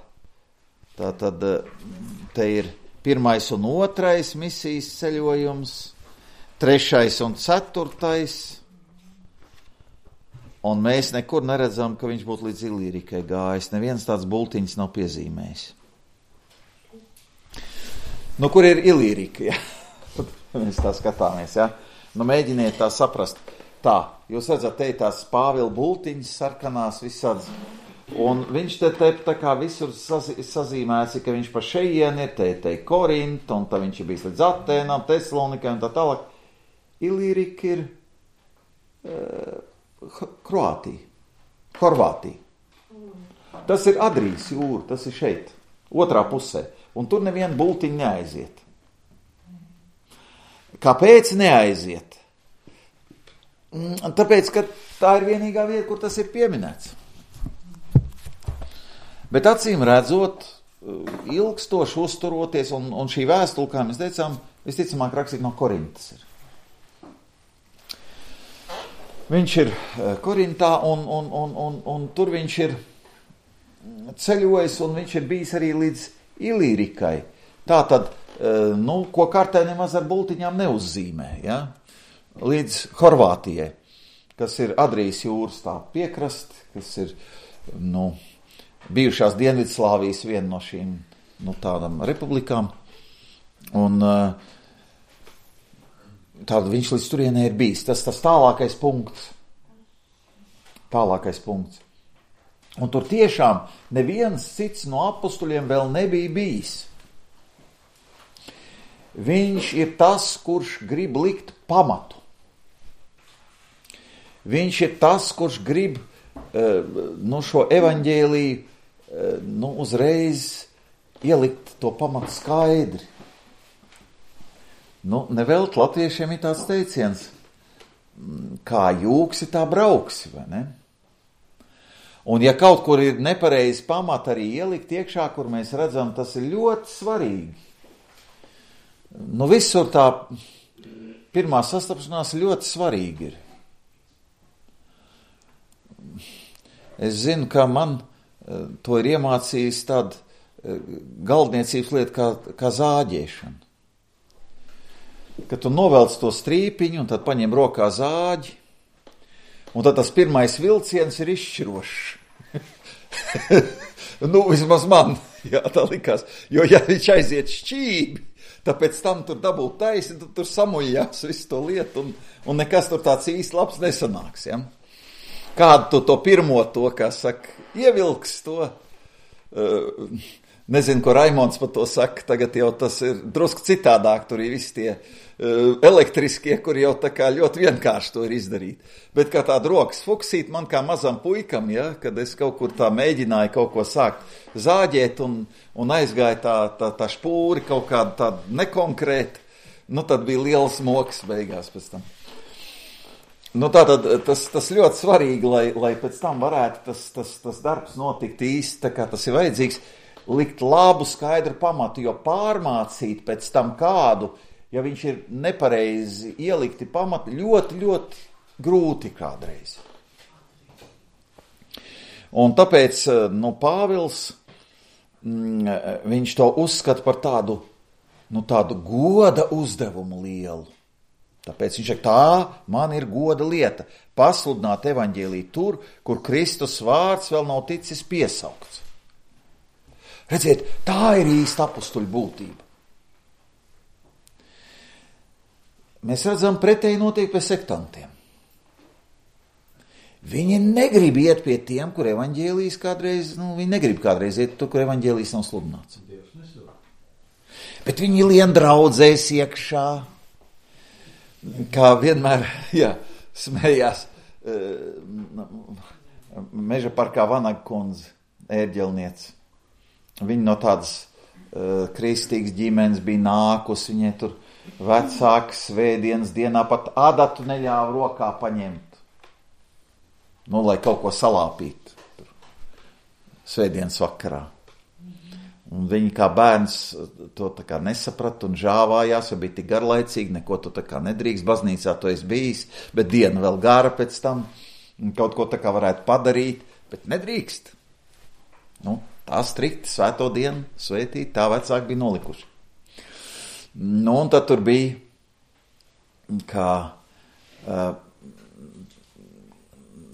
tātad te ir 1. un 2. misijas ceļojums, 3. un 4. Un mēs nekur neredzam, ka viņš būtu līdz Ilīrikai gājis. Neviens tāds bultiņš nav piezīmējis. Kur ir Ilīrika? Ja? Mēs tā skatāmies, ja? Mēģiniet tā saprast. Tā, jūs redzat, te tās Pāvila bultiņas sarkanās visādas. Un viņš te tā kā visur sazīmēts, ka viņš pa šejieni ir, te Korinta, un tā viņš ir bijis līdz Atēnām, Tesalonikai un tā tālāk. Ilīrika ir Horvātija. Tas ir Adrijas jūra, tas ir šeit, otrā pusē. Un tur neviena bultiņa neaiziet. Kāpēc neaiziet? Tāpēc, ka tā ir vienīgā vieta, kur tas ir pieminēts. Bet acīm redzot, ilgstoši uzturoties, un šī vēstule, kā mēs teicām, visticamāk rakstīt no Korintas ir. Viņš ir Korintā, un tur viņš ir ceļojis, un viņš ir bijis arī līdz Ilīrikai. Tātad ko kartē nemaz ar bultiņām neuzzīmē, ja? Līdz Horvātijai, kas ir Adrijas jūras tā piekrasti, kas ir, bijušās Dienvidslāvijas viena no šīm, tādām republikām, un tāda viņš līdz turienē ir bijis. Tas tālākais punkts. Un tur tiešām neviens cits no apustuļiem vēl nebija bijis. Viņš ir tas, kurš grib likt pamatu. Viņš ir tas, kurš grib šo evaņģēliju uzreiz ielikt to pamatu skaidri. Nevelt latviešiem ir tāds teiciens, kā jūksi, tā brauksi, vai ne? Un ja kaut kur ir nepareizi pamata arī ielikt iekšā, kur mēs redzam, tas ir ļoti svarīgi. Visur tā pirmā sastapšanās ļoti svarīgi ir. Es zinu, ka man to ir iemācījis tāda galdniecības lieta kā zāģēšana. Kad tu novelc to strīpiņu un tad paņem rokā zāģi, un tad tas pirmais vilciens ir izšķirošs. Vismaz man, tā likās. Jo, ja viņš aiziet šķībi, tāpēc tam tur dabūt taisni, tad tur samujās visu to lietu, un nekas tur tāds īsti labs nesanāks, ja? Kādu to pirmo to, kā saka, ievilks to, nezinu, ko Raimonds par to saka, tagad jau tas ir drusku citādāk, tur ir visi tie elektriskie, kur jau tā kā ļoti vienkārši to ir izdarīt. Bet kā tāda rokas fuksīt man kā mazam puikam, ja, kad es kaut kur tā mēģināju kaut ko sākt zāģēt un aizgāja tā špūri kaut kāda tāda nekonkrēta, tad bija liels moks beigās pēc tam. Tātad tas ļoti svarīgi, lai pēc tam varētu tas darbs notikt īsti, tā kā tas ir vajadzīgs, likt labu skaidru pamatu, jo pārmācīt pēc tam kādu, ja viņš ir nepareizi ielikti pamati, ļoti, ļoti grūti kādreiz. Un tāpēc, Pāvils, viņš to uzskata par tādu goda uzdevumu lielu. Tāpēc viņš saka, tā man ir goda lieta, pasludināt evaņģēliju tur, kur Kristus vārds vēl nav ticis piesaukts. Redziet, tā ir īsta apustuļu būtība. Mēs redzam, pretēji notiek pie sektantiem. Viņi negrib iet pie tiem, kur evaņģēlijs kādreiz, viņi negrib kādreiz iet tur, kur evaņģēlijs nav sludināts. Bet viņi lien draudzēs iekšā, kā vienmēr, smējās Meža parkā Vanaga kundze, ērģelniece. Viņa no tādas kristīgas ģimenes bija nākusi, viņai tur vecāki svētdienas dienā pat adatu neļāva rokā paņemt. Lai kaut ko salāpītu tur svētdienas vakarā. Un viņi kā bērns to tā kā nesaprata un žāvājās, jo bija tik garlaicīgi, neko tu tā kā nedrīkst, baznīcā to esi bijis, bet diena vēl gara pēc tam, kaut ko tā kā varētu padarīt, bet nedrīkst. Tā strikti svēto dienu svētīt, tā vecāki bija nolikuši. Un tad tur bija, kā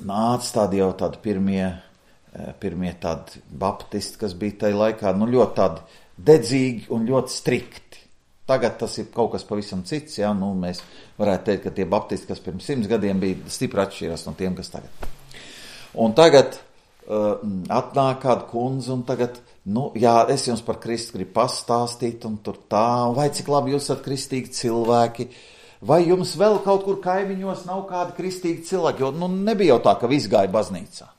nāca tādi jau tādi pirmie tādi baptisti, kas bija tajā laikā, ļoti tādi dedzīgi un ļoti strikti. Tagad tas ir kaut kas pavisam cits, mēs varētu teikt, ka tie baptisti, kas pirms 100 gadiem bija, stipri atšķirās no tiem, kas tagad. Un tagad atnāk kāda kundze un tagad, es jums par Kristu gribu pastāstīt un tur tā, vai cik labi jūs esat kristīgi cilvēki, vai jums vēl kaut kur kaimiņos nav kādi kristīgi cilvēki, jo nebija jau tā, ka viss gāja baznīcā.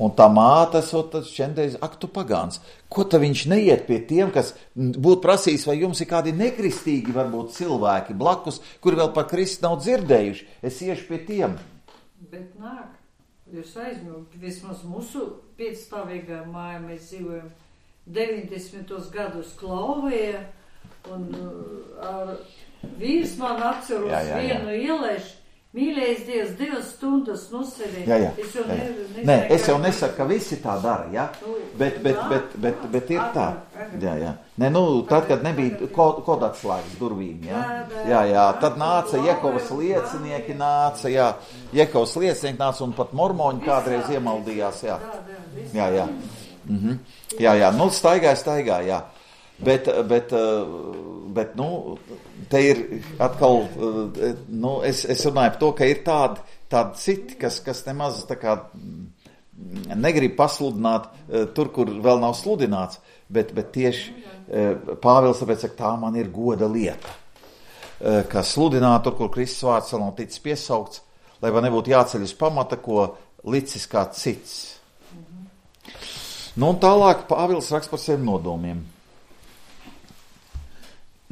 Un tā māte esot tad šķendreiz, tu pagāns, ko tad viņš neiet pie tiem, kas būtu prasījis, vai jums ir kādi nekristīgi varbūt cilvēki blakus, kuri vēl par Kristu nav dzirdējuši, es iešu pie tiem. Bet nāk, jūs aizmirst, vismaz mūsu piecstāvīgā māja mēs dzīvojam 90. gados Klauvēja, un vīrs man atceros vienu ielaišu, Mīlējis Dievs 2 stundas nosēdēt. Jā. Nē, es jau nesaku, ka visi tā dara, ja? Bet ir tā. Jā. Nē, tad, kad nebija kodatslēgas durvīm, jā. Tad nāca Jehovas liecinieki, Jehovas liecinieki nāca un pat mormoņi kādreiz iemaldījās, jā. Jā, staigāja, jā. Bet, te ir atkal, es runāju par to, ka ir tādi citi, kas nemaz tā kā negrib pasludināt tur, kur vēl nav sludināts, bet tieši Pāvils tāpēc, ka tā man ir goda lieta, ka sludināt tur, kur Kristus vārds vēl nav ticis piesaukts, lai man nebūtu jāceļ uz pamata, ko licis kā cits. Un tālāk Pāvils raksta par saviem nodomiem.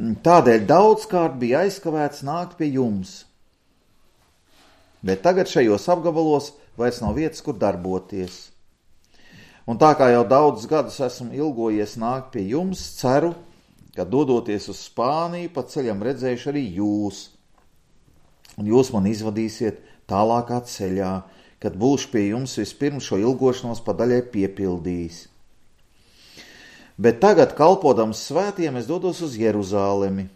Tādēļ daudzkārt bija aizkavēts nākt pie jums, bet tagad šajos apgabalos vairs nav vietas, kur darboties. Un tā kā jau daudzus gadus esmu ilgojies nākt pie jums, ceru, ka dodoties uz Spāniju, pa ceļam redzējuši arī jūs, un jūs man izvadīsiet tālākā ceļā, kad būšu pie jums vispirms šo ilgošanos pa daļai piepildījis. Bet tagad, kalpodams svētiem, es dodos uz Jeruzālemi,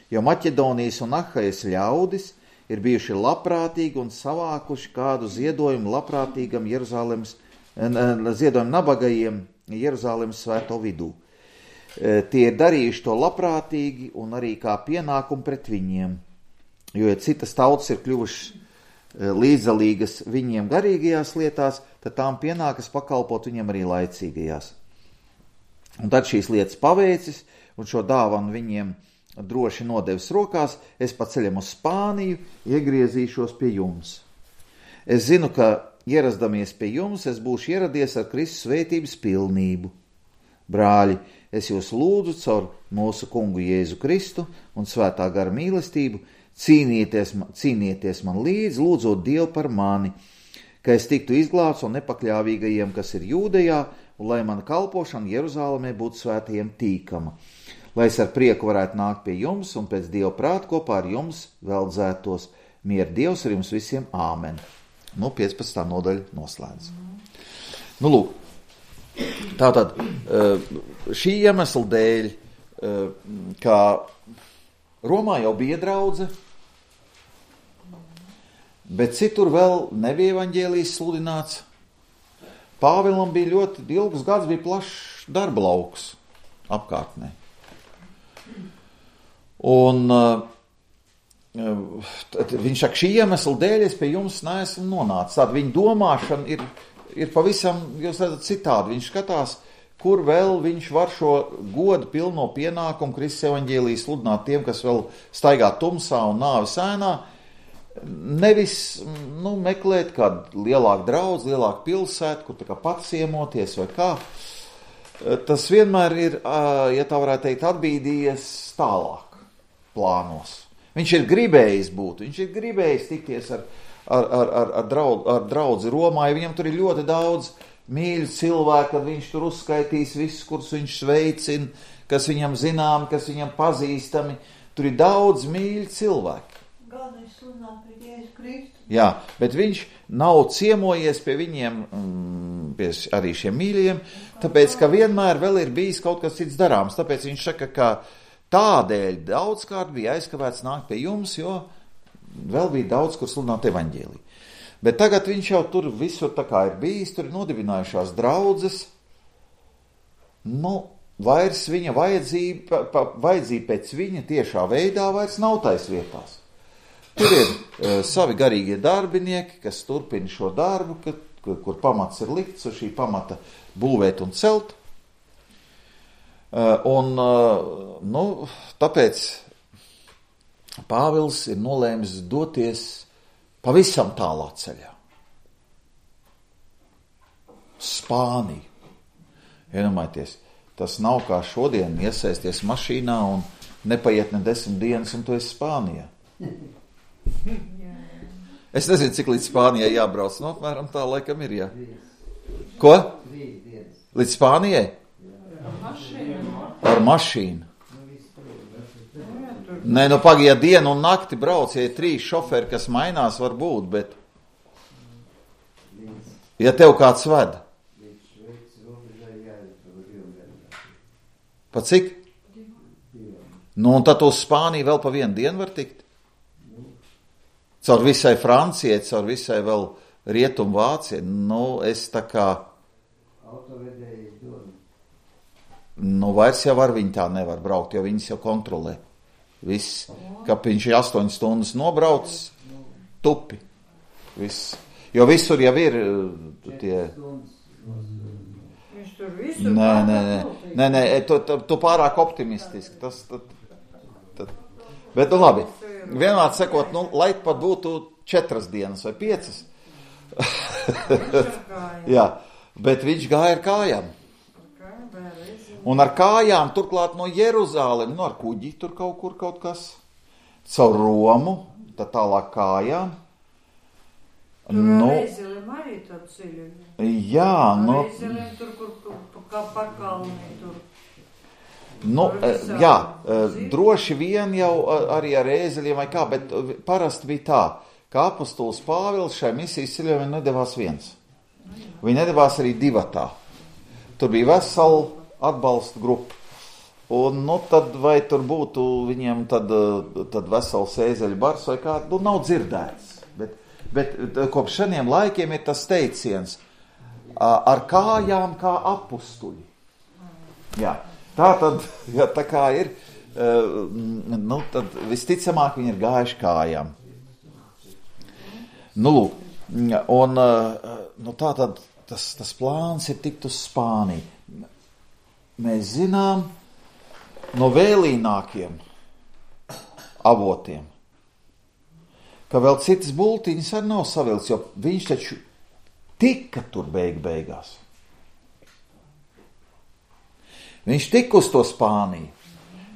jo Maķedonijas un Ahajas ļaudis ir bijuši labprātīgi un savākuši kādu ziedojumu labprātīgam ziedojumu nabagajiem Jeruzālemes svēto vidū. Tie ir darījuši to labprātīgi un arī kā pienākumu pret viņiem, jo ja citas tautas ir kļuvušas līdzdalīgas viņiem garīgajās lietās, tad tām pienākas pakalpot viņiem arī laicīgajās. Un tad šīs lietas paveicis, un šo dāvanu viņiem droši nodevis rokās, es pa ceļam uz Spāniju iegriezīšos pie jums. Es zinu, ka ierasdamies pie jums, es būšu ieradies ar Kristus svētības pilnību. Brāļi, es jūs lūdzu caur mūsu kungu Jēzu Kristu un svētā gara mīlestību, cīnieties man līdzi, lūdzot Dievu par mani, ka es tiktu izglābts un nepakļāvīgajiem, kas ir Jūdejā, un lai mana kalpošana Jeruzālemē būtu svētajiem tīkama, lai es ar prieku varētu nākt pie jums un pēc Dieva prāta kopā ar jums veldzētos. Miera Dievs ar jums visiem. Āmen. 15. nodaļa noslēdz. Lūk, tātad šī iemesla dēļ, kā Romā jau bija draudze, bet citur vēl nebija evaņģēlijs sludināts. Pāvilam bija ļoti ilgus gadus, bija plašs darba lauks apkārtnē. Un viņš saka, šī iemesla dēļ es pie jums neesmu nonācis. Tāda viņa domāšana ir pavisam, jūs redzat, citādi. Viņš skatās, kur vēl viņš var šo godu pilno pienākumu Kristus evaņģēliju sludināt tiem, kas vēl staigā tumsā un nāves ēnā. Nevis meklēt kādu lielāku draudzi, lielāku pilsētu, kur tā kā pats ciemoties vai kā. Tas vienmēr ir, ja tā varētu teikt, atbīdījies tālāk plānos. Viņš ir gribējis būt, viņš ir gribējis tikties ar draudzi Romā, ja viņam tur ir ļoti daudz mīļu cilvēku, kad viņš tur uzskaitīs visus, kurus viņš sveicina, kas viņam zinām, kas viņam pazīstami. Tur ir daudz mīļu cilvēku. Galvenais sludināt pret Jēzu Kristu. Jā, bet viņš nav ciemojies pie viņiem, pie arī šiem mīļiem, tāpēc, ka vienmēr vēl ir bijis kaut kas cits darāms. Tāpēc viņš saka, ka tādēļ daudzkārt bija aizkavēts nākt pie jums, jo vēl bija daudz, kur sludināt evaņģēliju. Bet tagad viņš jau tur visur tā kā ir bijis, tur ir nodibinājušās draudzes. Vairs viņa vajadzība pēc viņa tiešā veidā vairs nav tais vietās. Tur ir savi garīgie darbinieki, kas turpina šo darbu, kur pamats ir likts, uz šī pamata būvēt un celt. Tāpēc Pāvils ir nolēmis doties pavisam tālā ceļā. Spāniju. Iedomājieties, tas nav kā šodien iesaisties mašīnā un nepaiet ne 10 dienas, un tu esi Spānijā. Es nezinu, cik līdz Spānijai jābrauc. Apmēram tā laikam ir, jā. Ko? Līdz Spānijai? Ar mašīnu. Nē, nu pagaidā dienu un nakti brauc, ja ir 3 šoferi, kas mainās, var būt, bet ja tev kāds ved. Pa cik? Nu, un tad uz Spāniju vēl pa 1 dienu var tikt? Caur visai Francijai, caur visai vēl Rietumu Vācijai. Nu, es tā kā... Nu, vairs jau ar viņu tā nevar braukt, jo viņas jau kontrolē. Viss, ka viņš ir 8 stundas nobraucis, tupi. Viss. Jo visur jau ir tie... Viņš tur visur Nē, tu pārāk optimistiski. Bet, nu labi, vienmēr sekot, nu, lai pat būtu 4 dienas vai 5. Jā, bet viņš gāja ar kājām. Un ar kājām, turklāt no Jeruzālem, nu ar kuģi tur kaut kas, caur Romu, tad tālāk kājām. Tur ar Eizeliem arī tādu ceļu. Jā, nu... Ar Eizeliem tur, kur kā pakalni tur. Nu, jā, droši vien jau arī ar Eizeliem vai kā, bet parasti bija tā, ka apostols Pāvils šai misijas ceļojumā nedevās viens. Viņi nedevās arī 2. Tur bija vesela atbalsta grupa. Un, nu, tad vai tur būtu viņiem tad vesels Eizeļu bars vai kā, nu, nav dzirdēts. Bet kopš šiem laikiem ir tas teiciens ar kājām kā apustuļi. Jā, tā tad, ja tā kā ir, nu, tad visticamāk viņi ir gājuši kājām. Nu, lūk, un nu, tā tad tas plāns ir tikt uz Spāniju. Mēs zinām no vēlīnākiem avotiem, ka vēl citas bultiņas arī nav savilts, jo viņš taču tika tur beigās. Viņš tika uz to Spāniju,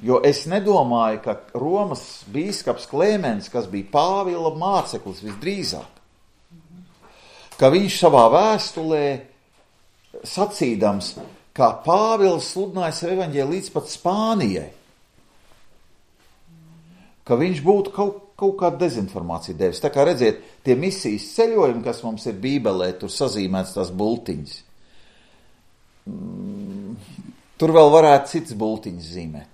jo es nedomāju, ka Romas bīskaps Klemens, kas bija Pāvila māceklis visdrīzāk, ka viņš savā vēstulē sacīdams, kā Pāvils sludināja savu evaņģēliju līdz pat Spānijai, ka viņš būtu kaut kādu dezinformāciju devis. Tā kā redziet, tie misijas ceļojumi, kas mums ir Bībelē, tur sazīmēts tās bultiņas. Tur vēl varētu cits bultiņas zīmēt.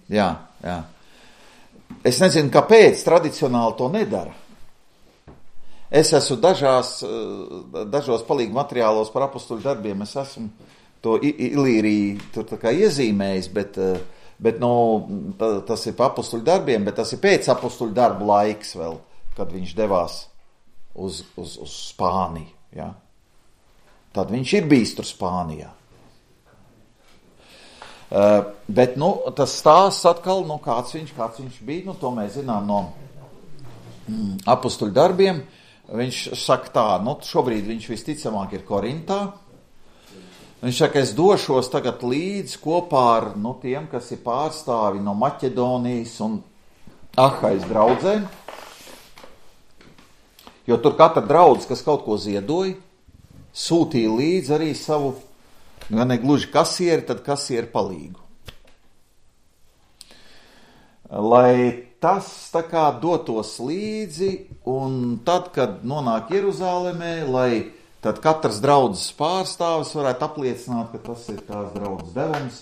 Jā. Es nezinu, kāpēc tradicionāli to nedara. Es esmu dažos palīgu materiālos par apostuļu darbiem, es esmu to Ilīriju tur tā kā iezīmējis, bet nu, tas ir pa apostuļu darbiem, bet tas ir pēc apostuļu darbu laiks vēl, kad viņš devās uz Spāniju. Ja? Tad viņš ir bijis tur Spānijā. Bet, nu, tas stāsts atkal, nu, kāds viņš bija, nu, to mēs zinām no apostuļu darbiem. Viņš saka tā, nu, šobrīd viņš visticamāk ir Korintā. Viņš saka, es došos tagad līdz kopā ar, nu, tiem, kas ir pārstāvi no Maķedonijas un Ahais draudzēm. Jo tur katra draudze, kas kaut ko ziedoja, sūtīja līdzi arī savu, gan ne gluži kasieri, tad kasieri palīgu. Lai tas tā kā dotos līdzi, un tad, kad nonāk Jeruzālemē, lai tad katrs draudzes pārstāvis varētu apliecināt, ka tas ir tās draudzes devums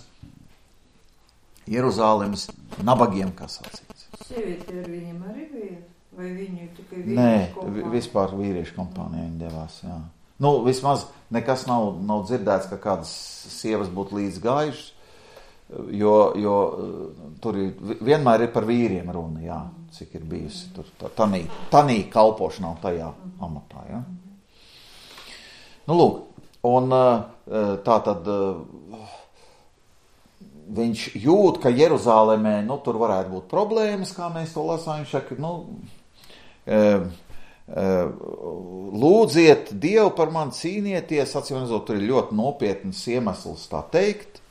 Jeruzālemes nabagiem, kas sacīts. Sievieti ar viņiem arī bija? Vai viņi tikai vīriešu kompānija? Nē, vispār vīriešu kompānija viņi devās, jā. Nu, vismaz nekas nav dzirdēts, ka kādas sievas būtu līdz gājušas, jo tur vienmēr ir par vīriem runa, jā, cik ir bijusi tur tanī kalpošanā tajā amatā, jā. Nu, lūk, un tā tad viņš jūt, ka Jeruzālemē, nu, tur varētu būt problēmas, kā mēs to lasām, viņš saka, nu, lūdziet Dievu par mani, cīnieties, atcīmredzot, tur ir ļoti nopietnas iemesls tā teikt,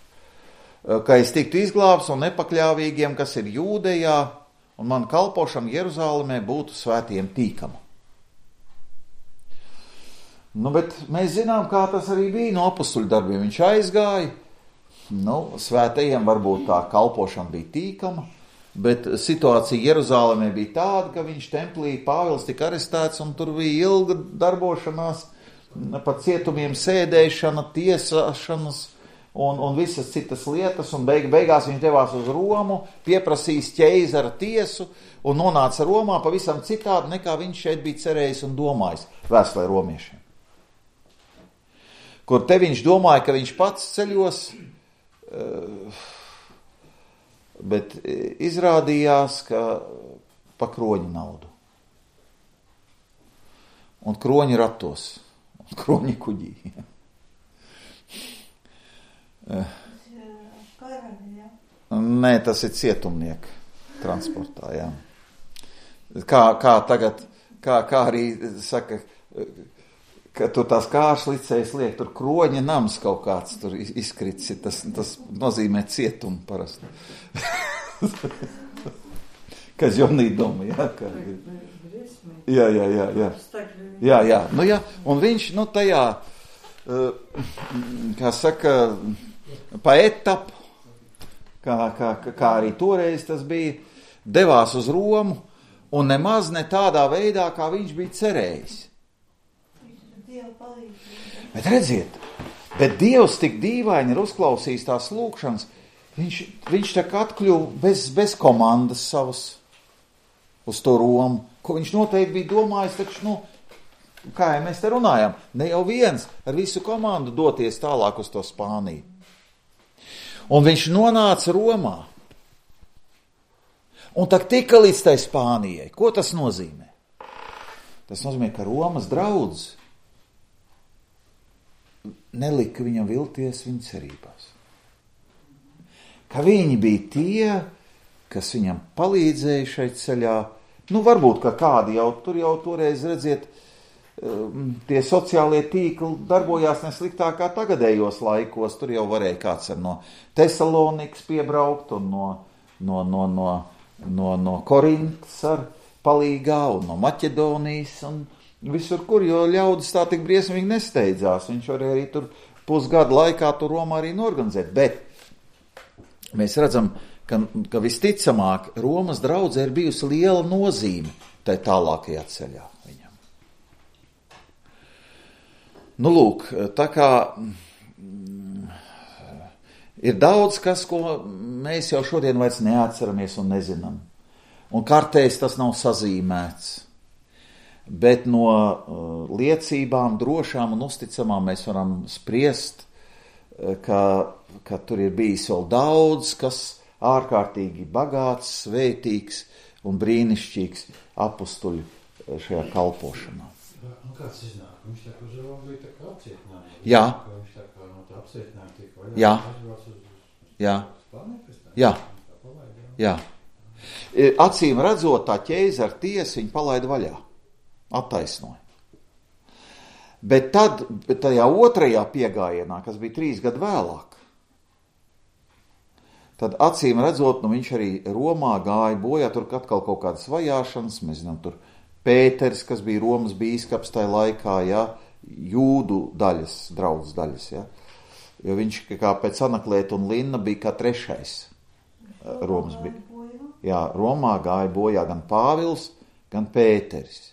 ka es tiktu izglābs un nepakļāvīgiem, kas ir Jūdejā, un man kalpošana Jeruzālemē būtu svētiem tīkama. Nu, bet mēs zinām, kā tas arī bija no apostuļu darbiem. Viņš aizgāja, svētajiem varbūt tā kalpošana bija tīkama, bet situācija Jeruzālēmē bija tāda, ka viņš templī Pāvils tika arestēts un tur bija ilga darbošanās, pa cietumiem sēdēšana, tiesāšanas un visas citas lietas, un beigās viņš devās uz Romu, pieprasījis ķeizara tiesu un nonāca Romā pavisam citādi, nekā viņš šeit bija cerējis un domājis vēstulē romiešiem. Kur te viņš domāja, ka viņš pats ceļos, bet izrādījās, ka pa kroņu naudu. Un kroņi ratos. Un kroņi kuģī. Karaļi, jā? Nē, tas ir cietumnieku transportā, jā. Kā tagad, kā arī saka, ka tur tās kāršlicējas liek, tur kroņa nams kaut kāds tur izkrits, tas nozīmē cietumu parasti. Kas jonī doma, jā? Jā. Un viņš, tajā, kā saka, pa etapu, kā arī toreiz tas bija, devās uz Romu, un nemaz ne tādā veidā, kā viņš bija cerējis. Bet redziet, bet Dievs tik dīvaini ir uzklausījis tās lūkšanas, viņš tā kā atkļuva bez komandas savas uz to Romu, ko viņš noteikti bija domājis, taču, kā jau mēs te runājam, ne jau viens ar visu komandu doties tālāk uz to Spāniju. Un viņš nonāca Romā. Un tak tika līdz tai Spānijai. Ko tas nozīmē? Tas nozīmē, ka Romas draudz nelika viņam vilties viņa cerībās. Ka viņi bija tie, kas viņam palīdzēja šeit ceļā. Varbūt, ka kādi jau toreiz, redziet, tie sociālie tīkli darbojās nesliktāk kā tagadējos laikos. Tur jau varēja kāds no Tesalonikas piebraukt un no Korintas ar palīgā un no Maķedonijas un visur, kur, jo ļaudis tā tik briesmīgi nesteidzās. Viņš varēja arī tur pusgadu laikā tur Romā arī norganizēt. Bet mēs redzam, ka visticamāk Romas draudzē ir bijusi liela nozīme tai tālākajā ceļā viņam. Lūk, tā kā ir daudz kas, ko mēs jau šodien vairs neatceramies un nezinām. Un kartēs tas nav sazīmēts. Bet no liecībām, drošām un uzticamām mēs varam spriest, ka tur ir bijis vēl daudz, kas ārkārtīgi bagāts, svētīgs un brīnišķīgs apustuļu šajā kalpošanā. Kāds iznāk? Viņš tā kā uz Romu bija tā kā apcietinājums. Jā. Viņš tā kā no tā apcietinājuma tika vaļā. Jā. Jā. Jā. Jā. Acīm redzot, tā ķeizara tiesa viņu palaida vaļā. Attaisnoja. Bet tad, tajā otrajā piegājienā, kas bija 3 gadu vēlāk, tad acīm redzot, viņš arī Romā gāja bojā, tur atkal kaut kādas vajāšanas, mēs zinām, tur Pēters, kas bija Romas bīskaps tajā laikā, ja, jūdu daļas, draudzes daļas, ja, jo viņš kā pēc Anaklēta un Linna bija kā 3. Romas bija. Jā, Romā gāja bojā gan Pāvils, gan Pēteris.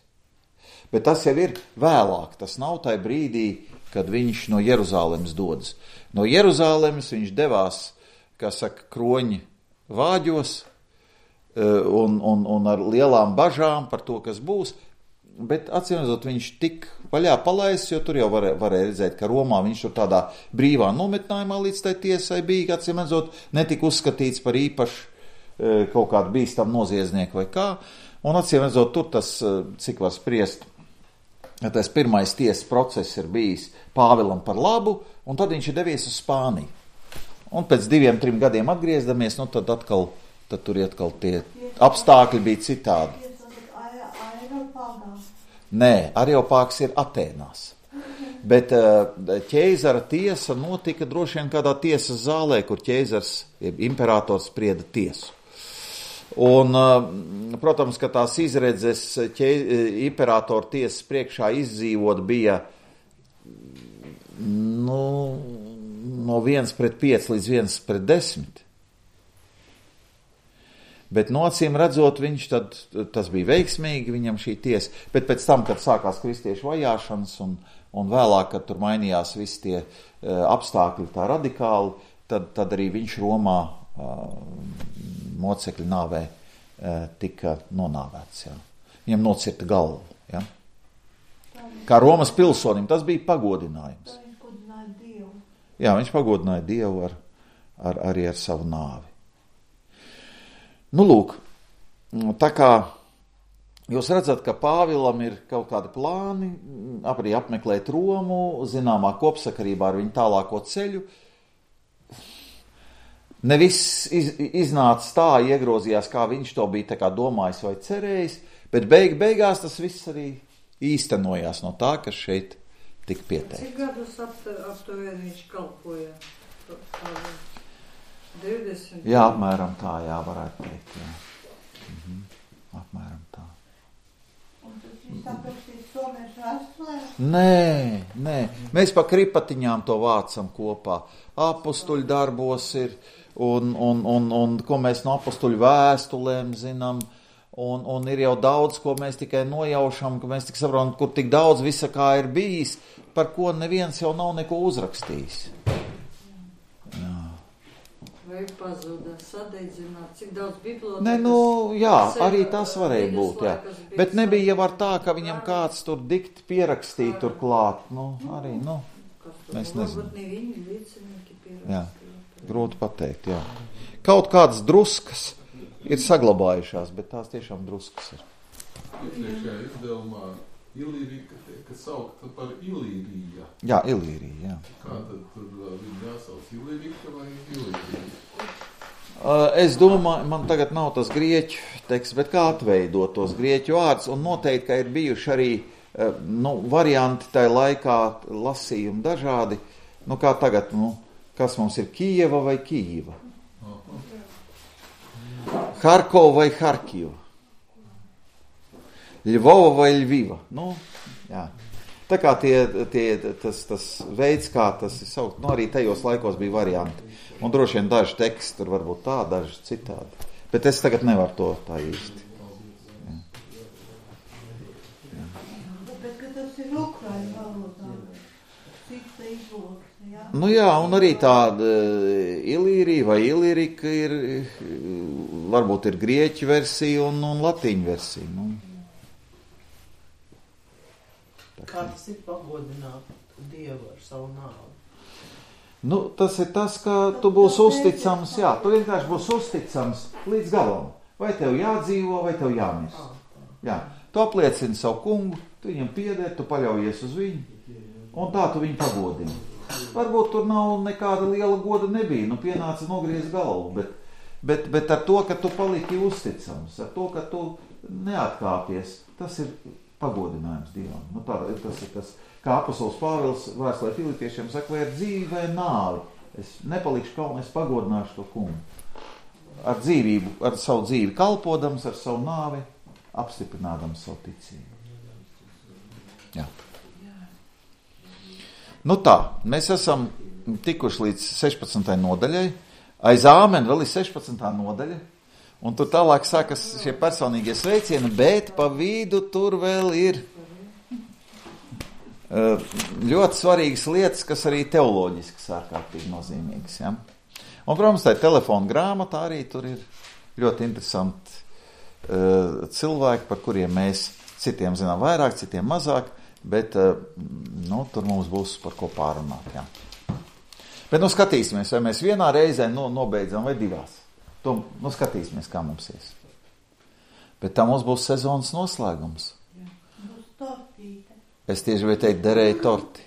Bet tas jau ir vēlāk, tas nav tajā brīdī, kad viņš no Jeruzālemes dodas. No Jeruzālemes viņš devās, kā saka, kroņi vāģos un ar lielām bažām par to, kas būs, bet atcīmredzot viņš tik vaļā palaists, jo tur jau varēja redzēt, ka Romā viņš tur tādā brīvā nometnājumā līdz tai tiesai bija, atcīmredzot, netika uzskatīts par īpaši kaut kādu bīstam noziedznieku vai kā, un atcīmredzot tur tas, cik var spriest, tas pirmais tiesas process ir bijis Pāvilam par labu, un tad viņš ir devies uz Spāniju. Un pēc 2-3 gadiem atgriezdamies, tad tur atkal tie apstākļi bija citādi. Nē, Areopāgs ir Atēnās. Bet ķeizara tiesa notika droši vien kādā tiesas zālē, kur ķeizars, imperators sprieda tiesu. Un, protams, ka tās izredzes imperatora tiesas priekšā izdzīvot bija, no 1:5 līdz 1:10. Bet no acīm redzot, tas bija veiksmīgi, viņam šī tiesa. Bet pēc tam, kad sākās kristiešu vajāšanas un vēlāk, kad tur mainījās visi tie apstākļi tā radikāli, tad arī viņš Romā mocekļu nāvē tika nonāvēts. Jā. Viņam nocirta galvu. Jā. Kā Romas pilsonim, tas bija pagodinājums. Viņš godināja Dievu. Jā, viņš pagodināja Dievu arī ar savu nāvi. Nu, lūk, tā kā jūs redzat, ka Pāvilam ir kaut kādi plāni, arī apmeklēt Romu, zināmā kopsakarībā ar viņu tālāko ceļu. Ne viss iznāca tā, iegrozījās, kā viņš to bija tā kā domājis vai cerējis, bet beigās tas viss arī īstenojās no tā, kas šeit tika pieteikts. Cik gadus aptuveni viņš kalpoja? 20? Jā, apmēram tā, varētu teikt. Jā. Apmēram tā. Un tas viss aprakstīs somiešu vēstulē? Nē. Mēs pa kripatiņām to vācam kopā. Apustuļu darbos ir, un ko mēs no apustuļu vēstulēm zinām, un ir jau daudz, ko mēs tikai nojaušam, ka mēs tik saprotam, kur tik daudz visa kā ir bijis, par ko neviens jau nav neko uzrakstījis. Jā. Vai pazuda, sadeidzināt, cik daudz bibliotekas? Nē, jā, arī tas varēja būt, jā. Bet nebija jau ar tā, ka viņam kāds tur dikti pierakstīja tur klāt. Arī, mēs nezinām. Varbūt ne viņi liecinieki pierakstīja. Jā, grūti pateikt, jā. Kaut kādas druskas ir saglabājušās, bet tās tiešām druskas ir. Iepriekšējā izdevumā Ilīrija, kas saukta par Ilīrija. Jā, Ilīrija, jā. Kā tad viņi jāsauc Ilīrija vai Ilīrija? Es domāju, man tagad nav tas grieķu teksts, bet kā atveidot tos grieķu vārdus, un noteikti, ka ir bijuši arī varianti tajā laikā lasījumi dažādi, kā tagad, kas mums ir Kijeva vai Kijeva? Harkova vai Harkiva? Ļvova vai Ļviva? Jā. Tā kā tas veids, kā tas ir saukt, arī tajos laikos bija varianti. Un droši vien daži teksti tur varbūt tā, daži citādi. Bet es tagad nevaru to tā īsti. Jā. Bet, ka tas ir ukraiņu valodā, cita izloksne, jā? Jā, un arī tāda Ilīrija vai Ilīrika ir, varbūt ir grieķu versija un latīņu versija. Kā tas ir pagodināt Dievu ar savu nāvi? Tas ir tas, ka tu būsi uzticams, tu vienkārši būsi uzticams līdz galam. Vai tev jādzīvo, vai tev jāmirst. Jā, tu apliecini savu kungu, tu viņam pieder, tu paļaujies uz viņu, un tā tu viņu pagodini. Varbūt tur nav nekāda liela goda nebija, pienāca nogriezt galvu, bet ar to, ka tu paliki uzticams, ar to, ka tu neatkāpies, tas ir pagodinājums Dievam. Tas ir tas, kā apostols Pāvils vēstulē Filipiešiem saka, vai ar dzīvi vai nāvi. Es nepalikšu kalnu, es pagodināšu to kungu. Ar dzīvību, ar savu dzīvi kalpodams, ar savu nāvi apstiprinādams savu ticību. Jā. Tā, mēs esam tikuši līdz 16. nodaļai. Aiz āmen vēl ir 16. nodaļa. Un tur tālāk sākas šie personīgie sveicieni, bet pa vidu tur vēl ir ļoti svarīgas lietas, kas arī teoloģiski ārkārtīgi nozīmīgas. Ja? Un, protams, tā telefona grāmatā arī tur ir ļoti interesanti cilvēki, par kuriem mēs citiem zinām vairāk, citiem mazāk, bet tur mums būs par ko pārunāt. Ja? Bet skatīsimies, vai mēs vienā reizē nobeidzam vai divās. Skatīsimies, kā mums ies. Bet tā mums būs sezonas noslēgums. Būs tortīte. Es tieši vai teikt, derēju torti.